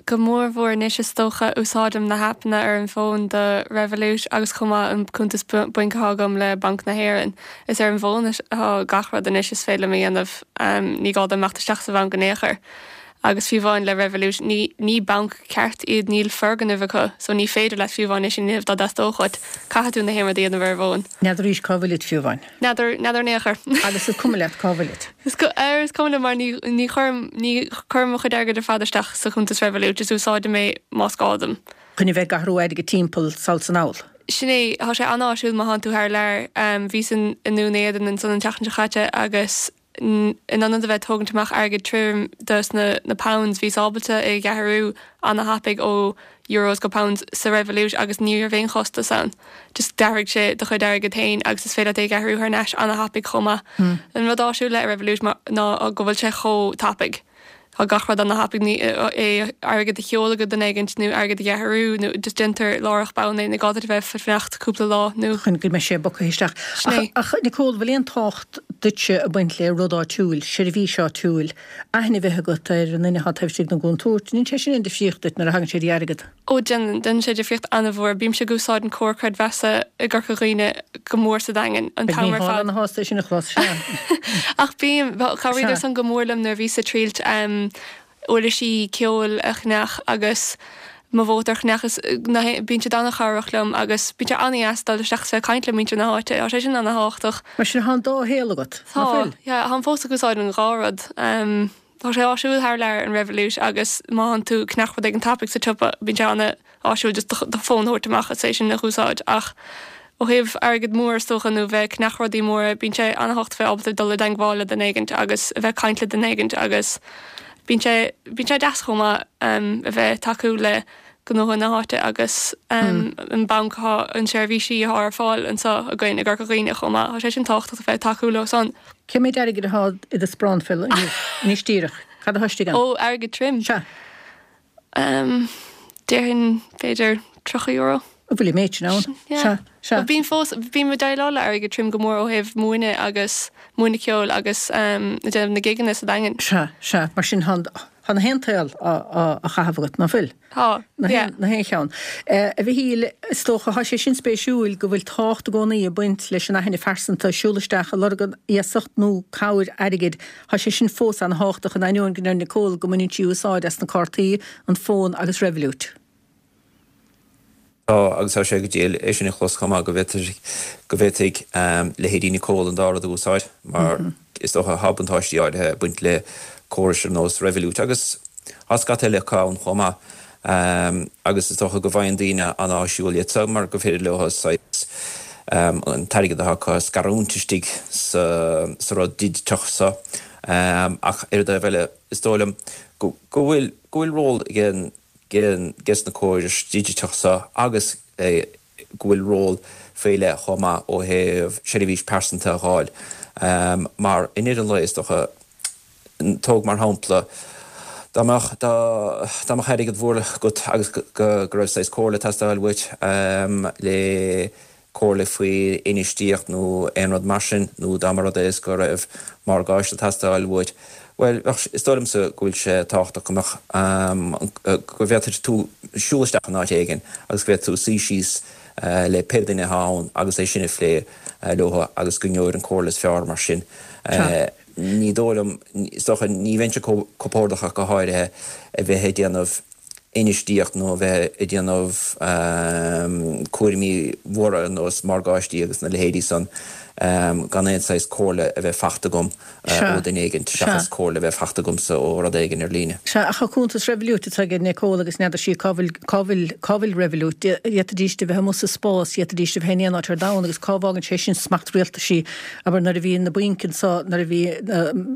go mór mhór anois is dócha úsáidim na haipeanna ar an bhfón do Revolut agus chomh maith an cuntas bainc atá agam le Banc na hÉireann. Is ar an bhfón atá gach rud anois is féidir liom a dhéanamh, ní gá dom imeacht isteach sa bhanc in aon chor. Agus fiú amháin le Revolut, ní, ní banc ceart iad, níl foirgneamh acu, so ní féidir leat fiú amháin é sin a dhéanamh dá dteastódh uait. Caithfidh tú na haon rud a dhéanamh ar an bhfón. N'fheadar arís cá bhfuilid fiú amháin. N'fheadar, n'fheadar in aon chor. Agus is cuma leat cá bhfuilid. Is ar, is cuma liom mar ní, ní chuirim, ní chuirim mo chuid airgid ar fad isteach sa chuntas Revolut, just úsáidim é más gá dom. Chun a bheith ag athrú airgid timpeall sall 's anall. Sin é, tá sé an-áisiúil má thánn tú thar lear. Bhíos in, i nDún Éideann ansan an tseachtain seo chaite agus, in ionad a bheith ag tógaint amach airgead tirim dos na na pounds bhíos ábalta é a dh'athrú ana-thapaidh ó euros go pounds sa Revolut agus ní raibh aon chostas ann. Just d'athraigh sé do chuid airgid féin agus is féidir leat é a dh'athrú thar n-ais ana-thapaidh chomh maith. An rud áisiúil le Revolut ná go bhfuil sé chomh tapaidh. Tá gach rud ana-thapaidh, ní é airgead a sheoladh go duine éigint nó airgead a dh'athrú nó just déantar láithreach bonn é, ní gá duit a bheith ag fanacht cúpla lá nó. chun go mbeidh sé bogtha isteach. Sin é. Ach Nicole, bhfuil aon tábhacht duitse ag baint le rud áitiúil, seirbhís áitiúil, aithne a bheith agat ar an duine atá taobh istigh den gcúntúirt, an ndéanann sé sin aon difríocht duit nuair a thagann sé dtí airgead? Ó déanann, déanann sé difríocht an-mhór. Bímse ag úsáid an Comhar Creidmheasa i gCorca Dhuibhne go mór sa Daingean an Beidh t-am ar Mícheál fad. ana-shásta é sin a chlos, sea. Ach bím, chabhraíodar Sea. san go mór liom nuair a bhíos ag triailt uirlisí ceoil a cheannach agus mo mhótar a cheannach is na bíonn siad an-chabhrach liom agus bíonn sé an-dheas dul isteach is bheith ag caint le muintir na háite, tá sé sin an-thábhachtach. Mar sin, tá an dá shaol agat, Tá, nach bhfuil? yeah, táim fós ag úsáid an dhá rud. Tá sé áisiúil thar lear an Revolut agus má thánn tú ag ceannach rud éigin tapaidh sa tsiopa bíonn sé ana-áisiúil just do fón a thabhairt amach is é sin a dh'úsáid ach ó thaobh airgead mór is dócha nó bheith ag ceannach rudaí móra bíonn sé ana-thábhachtach bheith ábalta dul i dteangmháil le duine éigint agus a bheith ag caint le duine éigint agus bíonn sé bíonn sé deas chomh maith a bheith ag tacú le gnótha na háite agus an banc atá an seirbhísí atá ar fáil anseo againn i gCorca Dhuibhne chomh maith. Tá sé sin tábhachtach a bheith ag tacú leo san. Cé méid airgid atá i do sparán fiú inniu, anois díreach? Cad atá istigh ann? Ó, airgead tirim? Sea. Déarfainn b'fhéidir €30. An bhfuil an méid sin ann? Yeah. Sea, sea. Bím fós, bím ag déileáil le airgead tirim go mór ó thaobh múineadh agus múineadh ceoil agus ag déanamh na gigeanna sa Daingean. Sea, sea. Mar sin, tá an. Tá na haon tsaol á chaitheamh agat, ná fuil? Tá, yeah. Na haon cheann. A Mhichíl, is dócha, tá sé sin spéisiúil go bhfuil tábhacht i gcónaí ag baint leis an aithne phearsanta, siúl isteach ag lorg iasacht nó cabhair airgid, tá sé sin fós an-thábhachtach in ainneoin go ndeir Nicole go mbaineann sí úsáid as na cártaí, an fón agus Revolut. Tá, agus tá sé go diail é sin a chlos chomh maith, go bhféadfaidh, go bhféadfaidh leithéidí Nicole an dá rud a úsáid, mar is dócha tá buntáistí áirithe ag baint le córais ar nós Revolut, agus tá scata eile acu ann chomh maith, agus is dócha go bhfaigheann daoine an-áisiúil iad so mar gur féidir leo saghas an t-airgead atá acu a scarúint istigh sa rud digiteach so. Ach ar an dtaobh eile, is dóigh liom go bhfuil, go bhfuil ról ag an ges na córais digiteach seo agus go bhfuil ról faoi leith chomh maith ó thaobh seirbhís pearsanta a dh'fháil mar i ndeireadh an lae is dócha, tóg mar shampla, dá mbeadh dá mbeadh airgead mhór agat agus go raibh saghas comhairle ag teastáil uait le comhairle faoi infheistíocht nó aon rud mar sin, nó dá mba rud é is go raibh morgáiste ag teastáil uait, bhuel, bheadh, is dóigh liomsa go bhfuil sé tábhachtach go mbeadh, go bhféadfadh tú siúl isteach in áit éigin agus go bhféadfadh tú suí síos le pé duine atá ann agus é sin a phlé leo agus go ngeobhair an comhairle is fearr mar sin. Ní dóigh liom, is dócha, ní bheinnse compordach ach go háirithe a bheith ag déanamh infheistíocht nó a bheith ag déanamh cúraimí mhóra ar nós morgáistí agus na leithéidí san gan aon saghas comhairle a bheith fachta agam ó duine éigin seachas comhairle a bheith fachta agamsa ó rud éigin ar líne. Sea, ach tá cuntas Revolut atá ag Nicole agus n'fheadar sí cá bhfuil, cá bhfuil, cá bhfuil Revolut. D'fhéadfaidís a bheith amuigh sa spás, d'fhéadfaidís a bheith in aon áit ar domhan agus cá bhfágann sé sin smacht rialtaisí, abair nuair a bhí na bainc anso, nuair a bhí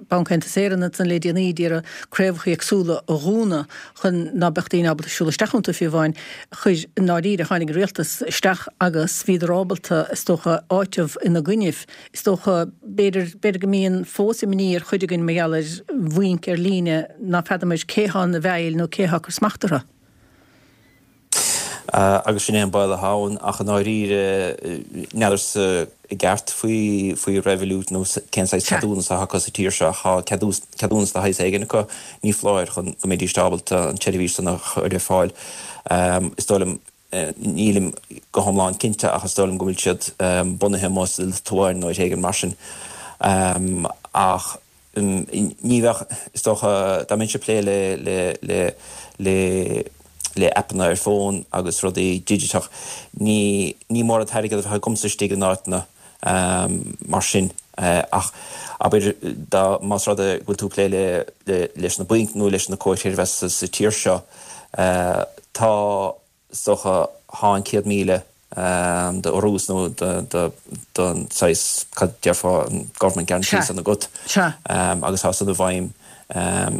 Banc Aontas Éireann ansan le déanaí d'iarraidh craobhacha éagsúla a dhúnadh, chun ná beadh daoine ábalta siúl isteach iontu fiú amháin, chuir, i ndáiríre, tháinig an rialtas isteach agus bhíodar ábalta, is dócha, áiteamh ina gcoinnibh. Is dócha, b'fhéidir, b'fhéidir go mbíonn fós imní ar chuid againn mar gheall ar bhainc ar líne ná feadamair cé thá ina bhfeighil nó cé thá ag cur smacht orthu. Agus sin é an baol atá ann, ach i ndáiríre, n'fheadarsa i gceart faoi faoi Revolut nó cén saghas ceadúnas atá acu sa tír seo. Tá ceadúnas de shaghas éigin acu, ní foláir, chun go mbeidís ábalta an tseirbhís san a chur ar fáil. Is dóigh liom, nílim go hiomlán cinnte, ach is dóigh liom go bhfuil siad bunaithe amuigh sa Liotuáin nó áit éigin mar sin. Ach. Ní bheadh, is dócha, dá mbeinnse ag plé le, le, le, le, le aipeanna ar fón agus rudaí digiteach, ní, ní mór an t-airgead a bheadh agamsa istigh in áiteanna mar sin. Ach abair, dá, más rud é go bhfuil tú ag plé le, le, leis na bainc nó leis na comhair chreidmheasa sa tír seo, tá, Is dócha, thá an 100,000 d'urrús nó don saghas, cad déarfá, an government guarantee san agat agus thá san i bhfeidhm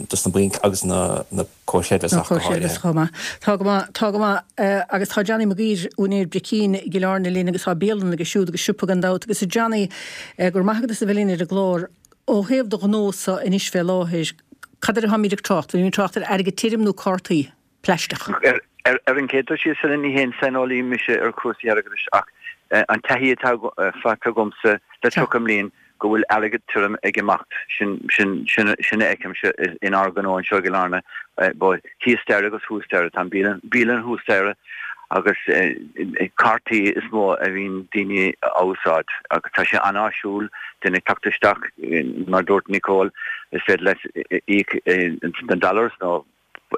dos na bainc agus na comhair chreidmheasa ach go háirithe. Chomh maith. Tá go maith, tá go maith. Agus tá Johnny Mac Uidhir, úinéir Bricín i gCill Airne linn agus tá bialann aige siúd agus siopa gan dabht. Agus a Johnny, go raibh maith agat as a bheith linn ar an gclár. Ó thaobh do ghnó-sa anois fé láthair, cad air atáimid ag trácht? Bhfuilimid ag trácht ar airgead tirim nó cártaí? plaisteach. Ar an gcéad dul síos, Helen, ní haon saineolaí mise ar chúrsaí airgeadais ach an taithí atá faighte agamsa le 30 mbliain go bhfuil airgead tirim ag imeacht, sin sin a fheicimse inár ngnó anseo i gCill Airne, thíos staighre agus thuas staighre, tá an bialann thuas staighre agus cártaí is mó a bhíonn daoine á úsáid agus tá sé an-áisiúil duine ag teacht isteach, mar dúirt Nicole, is féidir leat íoc in dollars nó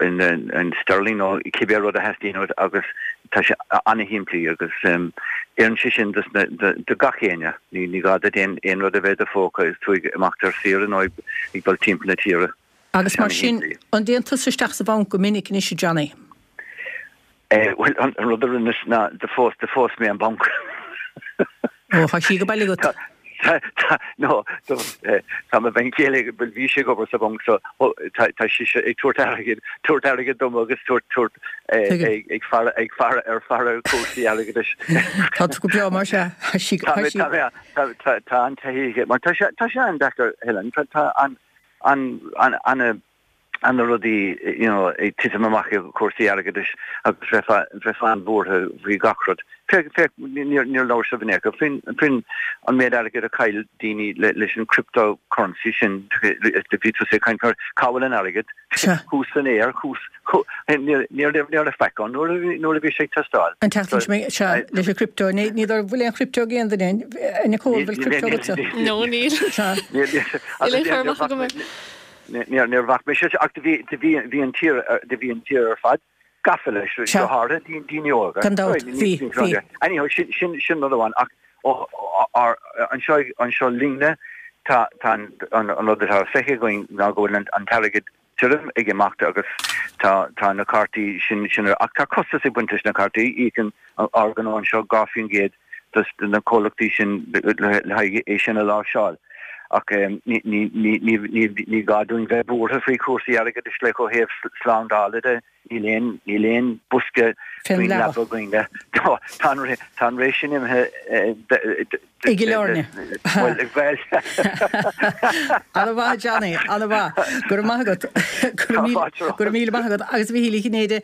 in sterling nó cibé rud a theastaíonn uait agus tá sé an-shimplí agus oireann sé sin do gach éinne. Ní gá duit aon rud a bheith i do phóca is tú ag imeacht ar saoire nó ag dul timpeall na tíre. Agus mar sin, an dtéann tusa isteach sa bhanc go minic anois, a Johnny? Bhuel, an rud a rinneas ná do phós, do phós mé an banc. Ó, tá sí go baile agat. Tá, no, tá mo bhean chéile, bhuel, bhí sí ag obair sa bhanc so tá, tá sise ag tabhairt airgid, tabhairt airgid dom agus tabhairt, tabhairt, ag faire, ag faire ar faire ar chúrsaí airgeadais. Tá tú go breá mar sea. Tá sí, tá sí. Tá mé, tá, tá, tá an taithí aici, mar tá sé, tá sé an-deacair, Helen, tá, tá an, an, an, an. Ana rudaí you know ag titim amach i gcúrsaí airgeadais agus bheifeá bheifeá an-bhuartha faoi gach rud. Féach féach níor níor labhair sibh in aon chor faoin faoin an méid airgid a chaill daoine le leis an crypto currency sin bhí tusa ag caint ar cá bhfuil an airgead thuas san aer thuas níor níor ní raibh faic ann nuair a bhí nuair a bhí sé ag teastáil. An tseachtain seo sea leis an crypto ní ní dóigh bhfuil aon crypto ag aon duine a Nicole bhfuil crypto agatsa? No níl. Sea. Níl aon chur amach agam air. Níor bhac mise ach do bhí, do bhí, bhí an tír, do bhí an tír ar fad gafa leis, go háirithe daoine óga. Gan dabht, bhí, bhí. Anyhow, sin, sin, sin rud amháin ach ó, ár, anseo, anseo linne tá, tá an, an, an rud atá feicthe againn ná go bhfuil an, an t-airgead tirim ag imeacht agus tá, tá na cártaí sin, sin, ach tá costas ag baint leis na cártaí, íocann ár ngnó anseo 2% dos na comhlachtaí sin le haghaidh é sin a láimhseáil. Ach ní gá dúinn bheith buartha faoi chúrsaí airgeadais like ó thaobh slándála de, níl aon, níl aon bosca faoin leaba againne. Tá an ré, tá an ré sin imithe I gCill Airne. Bhuel, bhuel. Ana-mhaith, Johnny, ana-mhaith. Go raibh maith agat. Go raibh míle maith agat. Agus a Mhichíl Uí Chinnéide,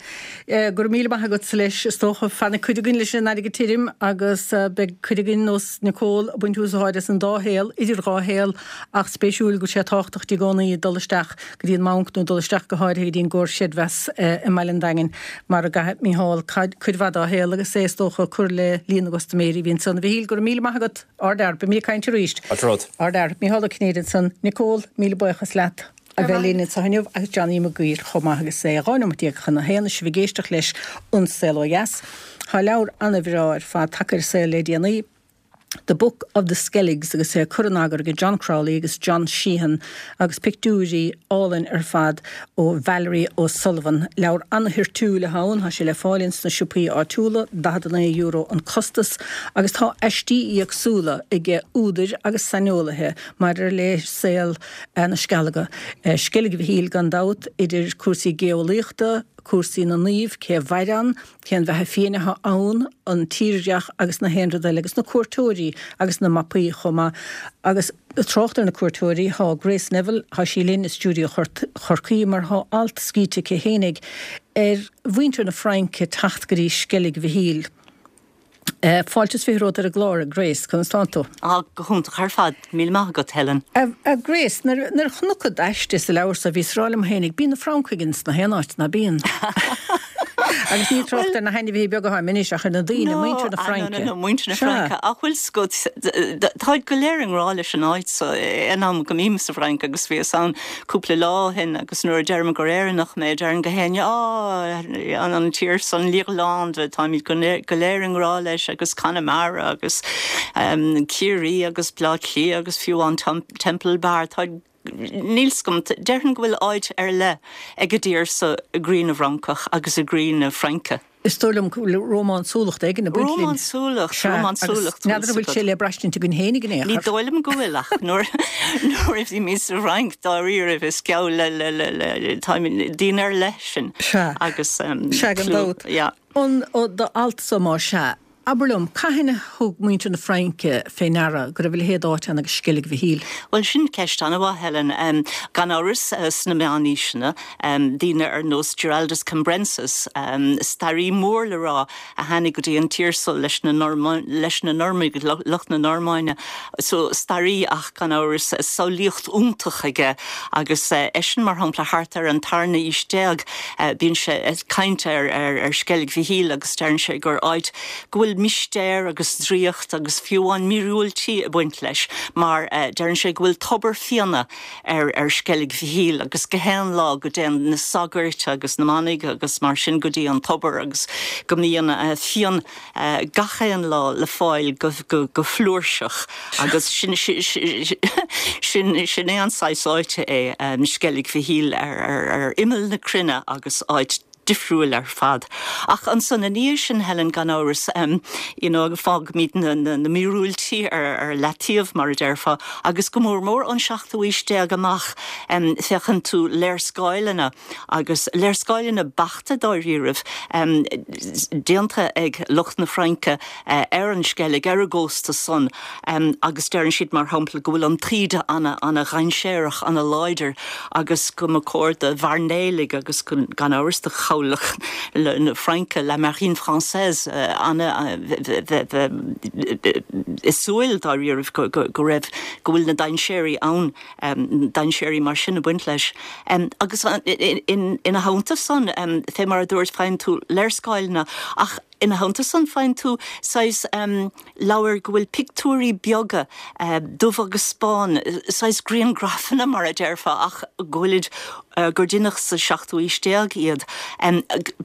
Go raibh míle maith agatsa leis. Is dócha, fanfaidh cuid againn leis an airgead tirim agus beidh cuid againn, nós Nicole, ag baint úsáid as an dá shaol, idir dhá shaol, ach spéisiúil go bhfuil sé tábhachtach di i gcónaí dul isteach go dtí an mbanc nó dul isteach go háirithe go dtí an gcomhar chreidmheas i mBaile an Daingin mar a gcaithfidh Mícheál cuid mhaith dá shaol agus é is dócha ag cur le líon na gcustaiméirí a bhí ansan. A Mhichíl, go raibh míle maith agat. Ardfhear. Beimid ag caint arís. Ardfhear. Mícheál Ó Cinnéide ansan. Nicole, míle buíochas leat. a bheith linn anseo inniu agus Johnny Mac Guill chomh maith agus é 12 nóimeat chun a haon is sibh ag éisteacht leis An Saol Ó Dheas. Tá leabhar an-bhreá ar fad tagtha ar an saol le déanaí, The Book of the Skelligs agus é curtha in eagar ag John Crowley agus John Sheehan agus pictiúirí álainn ar fad ó Valerie O'Sullivan. Leabhar an-toirtiúil atá ann, tá sé le fáil ins na siopaí áitiúla, €49 an costas, agus tá aistí éagsúla ag údair agus saineolaithe maidir le saol na Scealga. Sceilg Mhichíl gan dabht, idir cúrsaí geolaíochta, cúrsaí na naomh, cé a mhair ann, cén bheatha fiáin atá ann, an tírdhreach agus na haon rud eile, agus na cuairteoirí agus na mapaí chomh maith. Agus trácht ar na cuairteoirí, tá Grace Neville, tá sí linn i stiúideo Chorcaí mar tá alt scríte aici fhéinig ar mhuintir na Fraince teacht go dtí Sceilg Mhichíl. Fáilte is 20 romhat ar an gclár, a Grace. Conas tánn tú? Á, go hiontach ar fad. Míle maith agat, Helen. A Grace, nuair a chonac d'aiste sa leabhar so, bhíos ag rá liom fhéinig, bíonn na Francaigh ins na haon áit, ná bíonn? Agus ní trácht ar na hainmhithe beaga atá anois ach ar na daoine, muintir na Fraince. No, no, muintir na Fraince. Ach bhfuil 's agat, táid go léir i ngrá leis an áit so, aon am go mbím sa bhFrainc agus bhíos ann cúpla lá ó shin agus nuair a deirim gur Éireannach mé, deireann gach éinne, Á, an tír san, l'Irlande, táimid go léir i ngrá leis agus Conamara agus Ciarraí agus Bleá Cliath agus fiú amháin Temple Bar, tá, níl 's agam, déarfainn go bhfuil áit ar leith ag an dtír so i gcroí na bhFrancach agus i gcroí na Fraince. Is dóigh liom go bhfuil rómánsúlacht éigin ag baint linn. Rómánsúlacht, rómánsúlacht. Sea, agus n'fheadar an bhfuil sé le braistint againn féinig in aon chor. Ní dóigh liom go bhfuil ach nuair a bhímid sa Fhrainc dáiríribh is geall le, le, le, le, táimid daoine ar leith sinn. Sea. Agus Sea, gan dabht. Yeah. An, do alt so más ea, Abair liom, cathain a thug muintir na Fraince fé ndeara go raibh a leithéid d'áit ann agus Sceilg Mhichíl? Bhuel, sin ceist an-mhaith, Helen. Gan amhras, sna meánaoiseanna, daoine ar nós Giraldus Cambrensis, staraí mór le rá a tháinig go dtí an tír so leis na leis na Normaigh, lucht na Normainne. So, staraí ach gan amhras, samhlaíocht iontach aige agus eisean, mar shampla, thart ar an tarna aois déag, Bíonn sé ag caint ar Sceilg Mhichíl agus deireann sé gur áit go bhfuil mistéir agus draíocht agus fiú amháin míorúiltí ag baint leis mar deireann sé go bhfuil tobar fíona ar ar Sceilg Mhichíl agus gach aon lá go dtéann na sagairt agus na manaigh agus mar sin go dtí an tobar agus go mbíonn fíon gach aon lá le fáil go flúirseach agus sin sin é an saghas áite é Sceilg Mhichíl ar imeall na cruinne agus áit. difriúil ar fad. Ach ansan ina dhiaidh sin, Helen, gan amhras, you know, fágfaimid na, na, na míorúiltí ar, ar leataobh, mar a déarfá, agus go mór mór ón seachtú aois déag amach, féachann tú léarscáileanna agus léarscáileanna beachta dáiríribh, déanta ag lucht na Fraince ar an Sceilg, ar an gcósta san, agus deireann siad, mar shampla, go bhfuil an taoide ana, ana-dhainséarach, ana-láidir agus go mba cóir do mhairnéalaigh agus gan amhras do chabhlach na Fraince, la marine française, ana, bheith ag súil dáiríribh go, go raibh, go bhfuil na dainséirí ann. dainséirí mar sin ag baint leis. Agus ina theannta san, fé mar a dúirt, faigheann tú léarscáileanna ach ina theannta san faigheann tú saghas leabhair go bhfuil pictiúirí beaga, dubh agus bán, saghas griangrafanna mar a déarfá ach go bhfuilid, gur deineadh sa seachtú aois déag iad,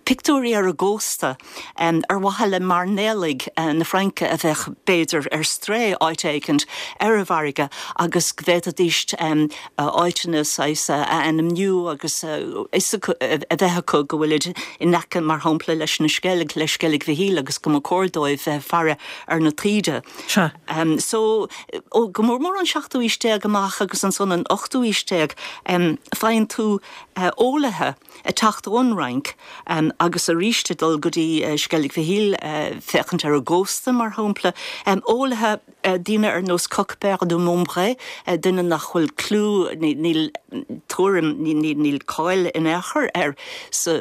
pictiúirí ar an gcósta. ar mhaithe le mairnéalaigh na Fraince a bheadh, b'fhéidir, ar strae áit éicint ar an bhfarraige agus go bhféadfaidís áiteanna saghas a ainmniú agus fhios a bheith acu go bhfuilid in aice, mar shampla, leis na Sceilg, le Sceilg Mhichíl agus go mba cóir dóibh bheith ag faire ar na taoide. Sea. So, ó, go mór mór an seachtú aois déag amach agus ansan an ochtú aois déag, faigheann tú eolaithe, ag teacht ón Fhrainc agus arís ag dul go dtí Sceilg Mhichíl féachaint ar an gcósta, mar shampla. Eolaithe, daoine ar nós Coquebert de Montbray, duine nach bhfuil clú, níl tuairim, níl cáil in aon chor air sa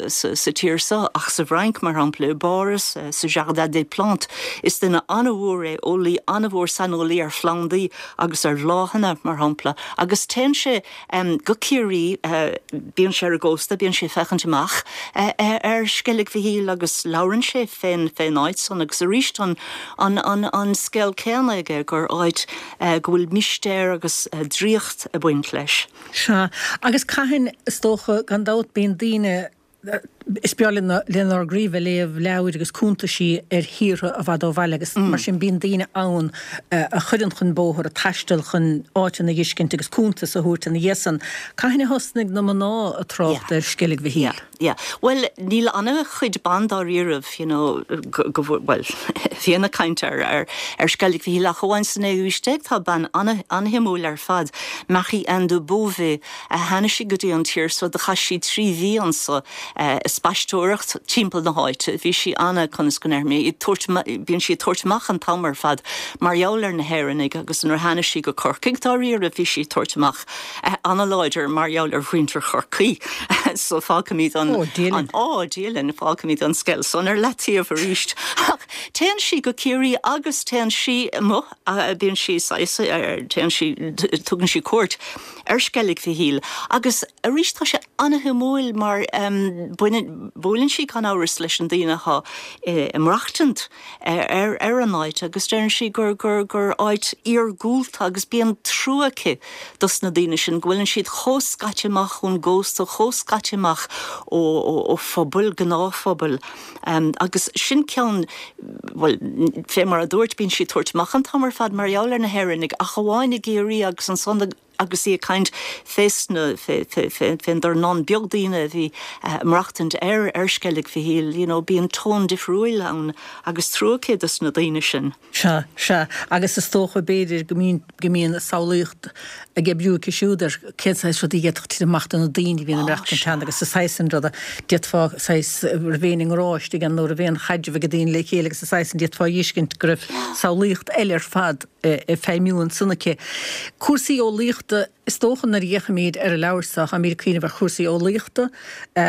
tír seo ach sa bhFrainc, mar shampla, i bPáras, sa Jardin des Plantes. Is duine an-mhór é, eolaí an-mhór, saineolaí ar phlandaí agus ar bhláthanna, mar shampla, agus téann sé Go Ciarraí, bíonn sé ar an gcósta, bíonn sé ag féachaint amach ar Sceilg Mhichíl agus labhrann sé fén áit san agus arís an an scéal céanna aige gur áit go bhfuil mistéir agus draíocht ag baint leis. Sea, agus cathain, is dócha, gan dabht, bíonn daoine Is breá lenár gcroí bheith ag léamh leabhair agus cuntaisí ar thíortha i bhfad ó bhaile agus mar sin bíonn daoine ann a chuireann chun bóthair, ag taisteal chun áiteanna a dh'fheiscint agus cuntas a thabhairt ina dhiaidh san. Cathain a thosnaigh na mná ag trácht ar Sceilg Mhichíl? Yeah, yeah. Bhuel, níl ana-chuid ban dáiríribh, you know, go bhfuil, bhuel, bhíonn ag caint ar, ar, ar Sceilg Mhichíl ach amháin sa naoú haois déag tá bean ana-shuimiúil ar fad, Marie-Anne de Beauvais, a tháinig sí go dtí an tír so, do chaith sí 3 mhí anso ag spaisteoireacht timpeall na háite. Bhí sí ana, conas go ndéarfaidh mé, ag tabhairt, bíonn sí ag tabhairt amach an t-am ar fad mar gheall ar na hÉireannaigh agus nuair a tháinig sí go Corcaigh dáiríre bhí sí ag tabhairt amach ana-láidir mar gheall ar mhuintir Chorcaí. So fágfaimid an, Ó, Dia linn. Ó, Dia linn, fágfaimid an scéal san ar leataobh arís. Ach téann sí go Ciarraí agus téann sí amuigh, bíonn sí saghas, téann sí, tugann sí cuairt ar Sceilg Mhichíl agus arís tá sé ana-shuimiúil mar baineann, buaileann sí gan amhras leis an daoine atá ag maireachtaint ar ar an áit agus deireann sí gur gur gur áit iargúlta agus bíonn trua aici dos na daoine sin go bhfuileann siad chomh scaite amach ón gcósta, chomh scaite amach ó ó phobail, gnáthphobail. Agus sin ceann, bhuel, fé mar a dúirt, bíonn sí ag tabhairt amach an t-am ar fad mar gheall ar na hÉireannaigh, ach amháin i gCiarraí agus ansan agus í ag caint fés na, fé, fé, fé, fén dornán beag daoine a bhí ag maireachtaint ar, ar Sceilg Mhichíl, you know, bíonn tón difriúil ann agus trua aici dos na daoine sin. Sea, sea, agus is dócha, b'fhéidir, go mbíonn, go mbíonn a samhlaíocht ag oibriú aici siúd ar cén saghas rudaí a d'fhéadfadh titim amach do na daoine a bhíonn ag maireachtaint ann agus an saghas sin ruda, d'fhéadfá saghas, raibh aon i ngrá istigh ann nó raibh aon chaidreamh ag daoine le chéile agus an saghas sin, d'fhéadfá a dh'fheiscint go raibh samhlaíocht eile ar fad ag feidhmiú ansan aici. Cúrsaí eolaíochta. Is dócha nuair a fhéachaimid ar an leabhar seo, táimid ag cuimhneamh ar chúrsaí eolaíochta,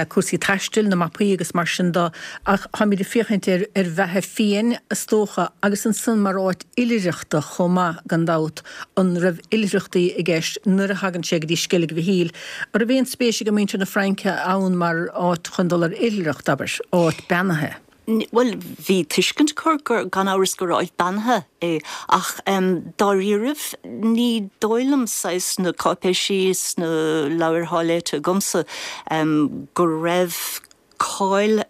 cúrsaí taistil, na mapaí agus mar sin de, ach táimid ag féachaint ar ar bheatha fiáin, is dócha, agus ansan mar áit oilithreachta chomh maith, gan dabht. An raibh oilithreachtaí i gceist nuair a thagann sé go dtí Sceilg Mhichíl? An raibh aon spéis ag muintir na Fraince ann mar áit chun dul ar oilithreacht, abair, áit beannaithe? Bhuel, bhí tuiscint acu gur, gan amhras, gur áit beannaithe é, ach dáiríribh, ní dóigh liom, saghas, sna cáipéisí, sna leabhair atá léite agamsa, go raibh cáil,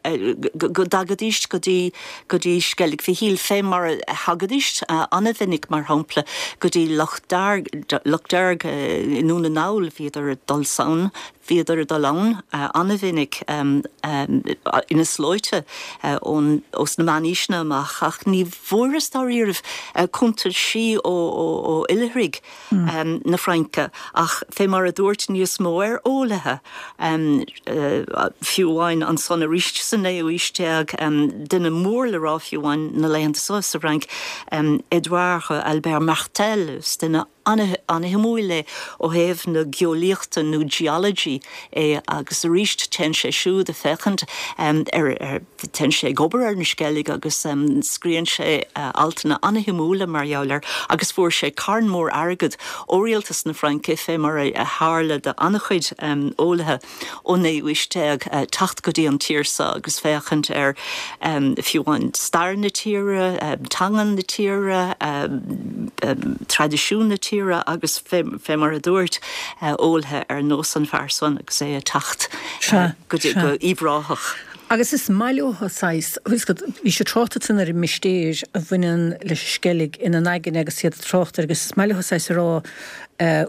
go dtagaidís go dtí, go dtí Sceilg Mhichíl, fé mar a thagaidís an-mhinic, mar shampla, go dtí Loch Dearg, Loch Dearg i nDún na nGall, bhíodar ag dul ann. Bhíodar ag dul ann an-mhinic ina slóite ón ós na meánaoiseanna amach ach ní bhfuaireas dáiríribh cuntaisí ó oilithrigh na Fraince ach fé mar a dúirt níos mó ar eolaithe fiú amháin ansan arís sa naoú aois déag duine mór le rá fiú amháin na laethanta seo sa Fhrainc Edouard Albert Martel is duine an-shuimiúil é ó thaobh na geolaíochta nó geology é agus arís téann sé siúd ag féachaint ar, téann sé ag obair ar na Sceilg agus scríonn sé altanna an-shuimiúla mar gheall air agus fuair sé carn mór airgead ó rialtas na Fraince fé mar a tharla do an-chuid eolaithe. ón naoú haois déag teacht go dtí an tír seo agus féachaint ar fiú amháin stair na tíre, teanga na tíre, traidisiún na tíre agus fé mar a dúirt eolaithe ar nós an fear san agus é ag teacht go dtí go Uíbh Ráthach. Agus is maith leo saghas, bhfuil 'fhios agat, bhí siad trácht ansan ar an mistéir a bhaineann leis an Sceilg ina n-aigne agus iad ag trácht air agus is maith leo saghas a rá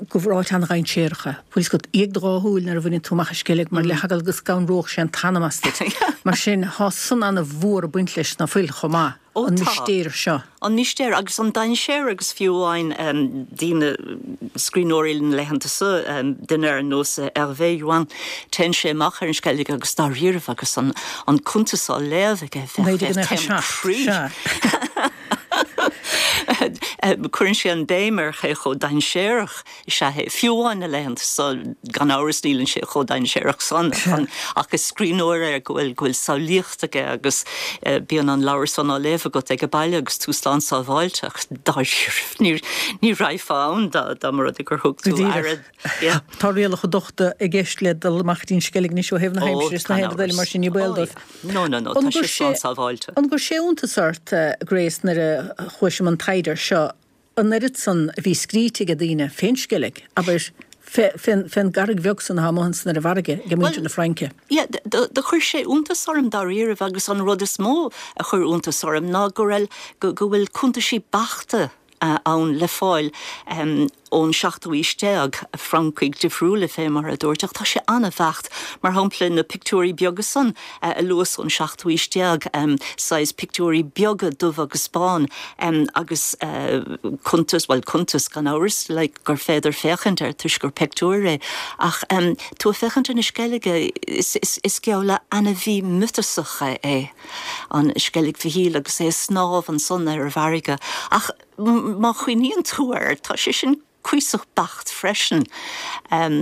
go bhfuil áit an-dhainséarach é. Bhfuil 'fhios agat, éag do dhá shúil nuair a bhaineann tú amach an Sceilg mar le heagla go scanródh sé an t-anam as duit. Mar sin, thá san ana-mhór ag baint leis ná fuil chomh maith, an mistéir seo. An mistéir agus an dainséar agus fiú amháin daoine, scríbhneoirí na laethanta seo, duine ar nós Hervé Jouin, téann sé amach ar an Sceilg agus dáiríribh agus an cuntas á léamh aige bheadh taom croí. 1997, sea. Cuireann sé an béim ar cé chomh dainséarach is ea é. Fiú amháin na laethanta seo, gan amhras níleann sé chomh dainséarach san ach is scríbhneoir é go bhfuil go bhfuil samhlaíocht aige agus bíonn an leabhar san á léamh agat ag baile agus tú slán sábháilte ach dáiríre ní raghfá ann dá mba rud é gur thug tú aire. Tá rialacha dochta i gceist le dul amach go dtí an Sceilg anois ó thaobh na haimsire is na haon rud eile mar sin ní baol dóibh. No, no, no, tá sé slán sábháilte. An gcuir sé iontas ort, Grace, nuair a chuais i mbun taighde air seo, an oiread san a bhí scríte ag daoine fén Sceilg, abair, fén gcarraig bheag san atá amuigh ansan ar an bhfarraige ag muintir na Fraince? Yeah, do chuir sé iontas orm dáiríribh agus an rud is mó a chuir iontas orm ná go raibh, go bhfuil cuntaisí beachta ann le fáil ón seachtú aois déag, Francaigh difriúla fé mar a dúirt, ach tá sé an-bheacht. Mar shampla, na pictiúirí beaga san a luas ón seachtú aois déag, saghas pictiúirí beaga dubh agus bán agus cuntas, bhuel cuntas gan amhras, like gur féidir féachaint air toisc gur pictiúr é, ach tú ag féachaint ar na Sceilge, is geall le ainmhí miotasach é. an Sceilg Mhichíl agus é ag snámh ansan ar an bhfarraige. Ach má chuimhníonn tú air, tá sé sin cuíosach beacht freisin.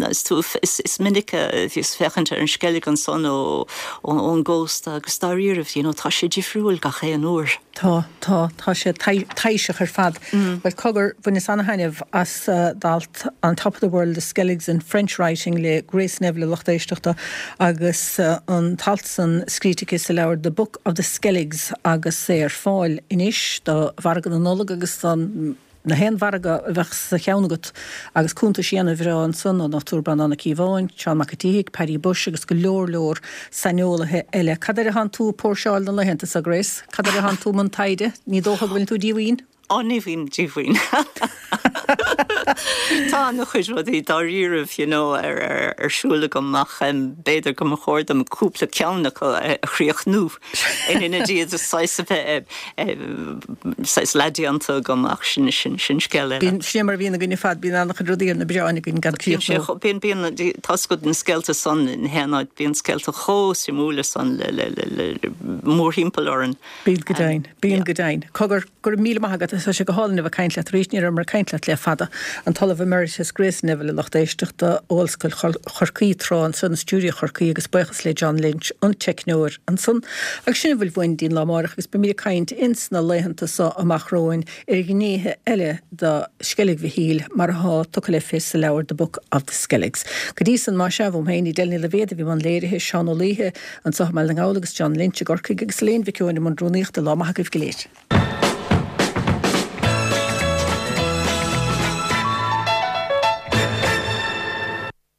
Is tú, is minic a bhíos féachaint ar an Sceilg ansan ón gcósta agus dáiríribh, you know, tá sé difriúil gach aon uair. Tá, tá, tá sé taibhseach ar fad. Bhuel, cogar, bhaineas ana-thaitneamh as d'alt On Top of the World, The Skelligs in French Writing le Grace Neville, a lucht éisteachta, agus an t-alt san scríte aici sa leabhar The Book of the Skelligs agus é ar fáil anois do mhargadh na Nollag agus don na haon mhargadh a bheadh sa cheann agat agus cuntaisí ana-bhreá ansan ón Dr Breandán Ó Cíobháin, Seán Mac an tSíthigh, Paddy Bushe agus go leor leor saineolaithe eile. Cad air atánn tú ag póirseáil na laethanta seo, Grace? Cad air atánn tú i mbun taighde? Ní dócha go bhfuileann tú díomhaoin? Ó, ní bhím díomhaoin. Tá ana-chuid rudaí dáiríribh, you know, ar ar siúl agam ach b'fhéidir go mba chóir dom cúpla ceann acu a chríochnú in ionad iad saghas a bheith saghas leathdhéanta agam ach sin sin sin scéal eile. Bíonn, sin é mar a bhíonn againn ar fad, bíonn an-chuid rudaí ar na bioráin againn gan críochnú. Bíonn, bíonn, tá's agat na scéalta san in aon áit, bíonn scéalta chomh suimiúla san le le le le mórthimpeall orainn. Bíonn go deimhin, bíonn go deimhin. Cogar, go raibh míle maith agat, tá sé go hálainn a bheith ag caint leat arís, ní rabhamar ag caint leat le fada. An tOllamh Emeritus Grace Neville a lucht éisteachta ó Ollscoil Chorcaí tráth ansan i stiúideo Chorcaí agus buíochas le John Lynch, an teicneoir ansan. Agus sin a bhfuil uainn dtí'n lá amáireach agus beimid ag caint ins na laethanta so amach romhainn ar ghnéithe eile de Sceilg Mhichíl mar athá tugtha le fios sa leabhar The Book of the Skelligs. Go dtí san, más ea, uaim féin, Edel Ní Loibhéad a bhí i mbun léirithe, Seán Ó Laoithe anseo i mBaile na nGall agus John Lynch i gCorcaigh agus Elaine Mhic Eoin i mbun rúnaíochta. Lá maith agaibh go léir.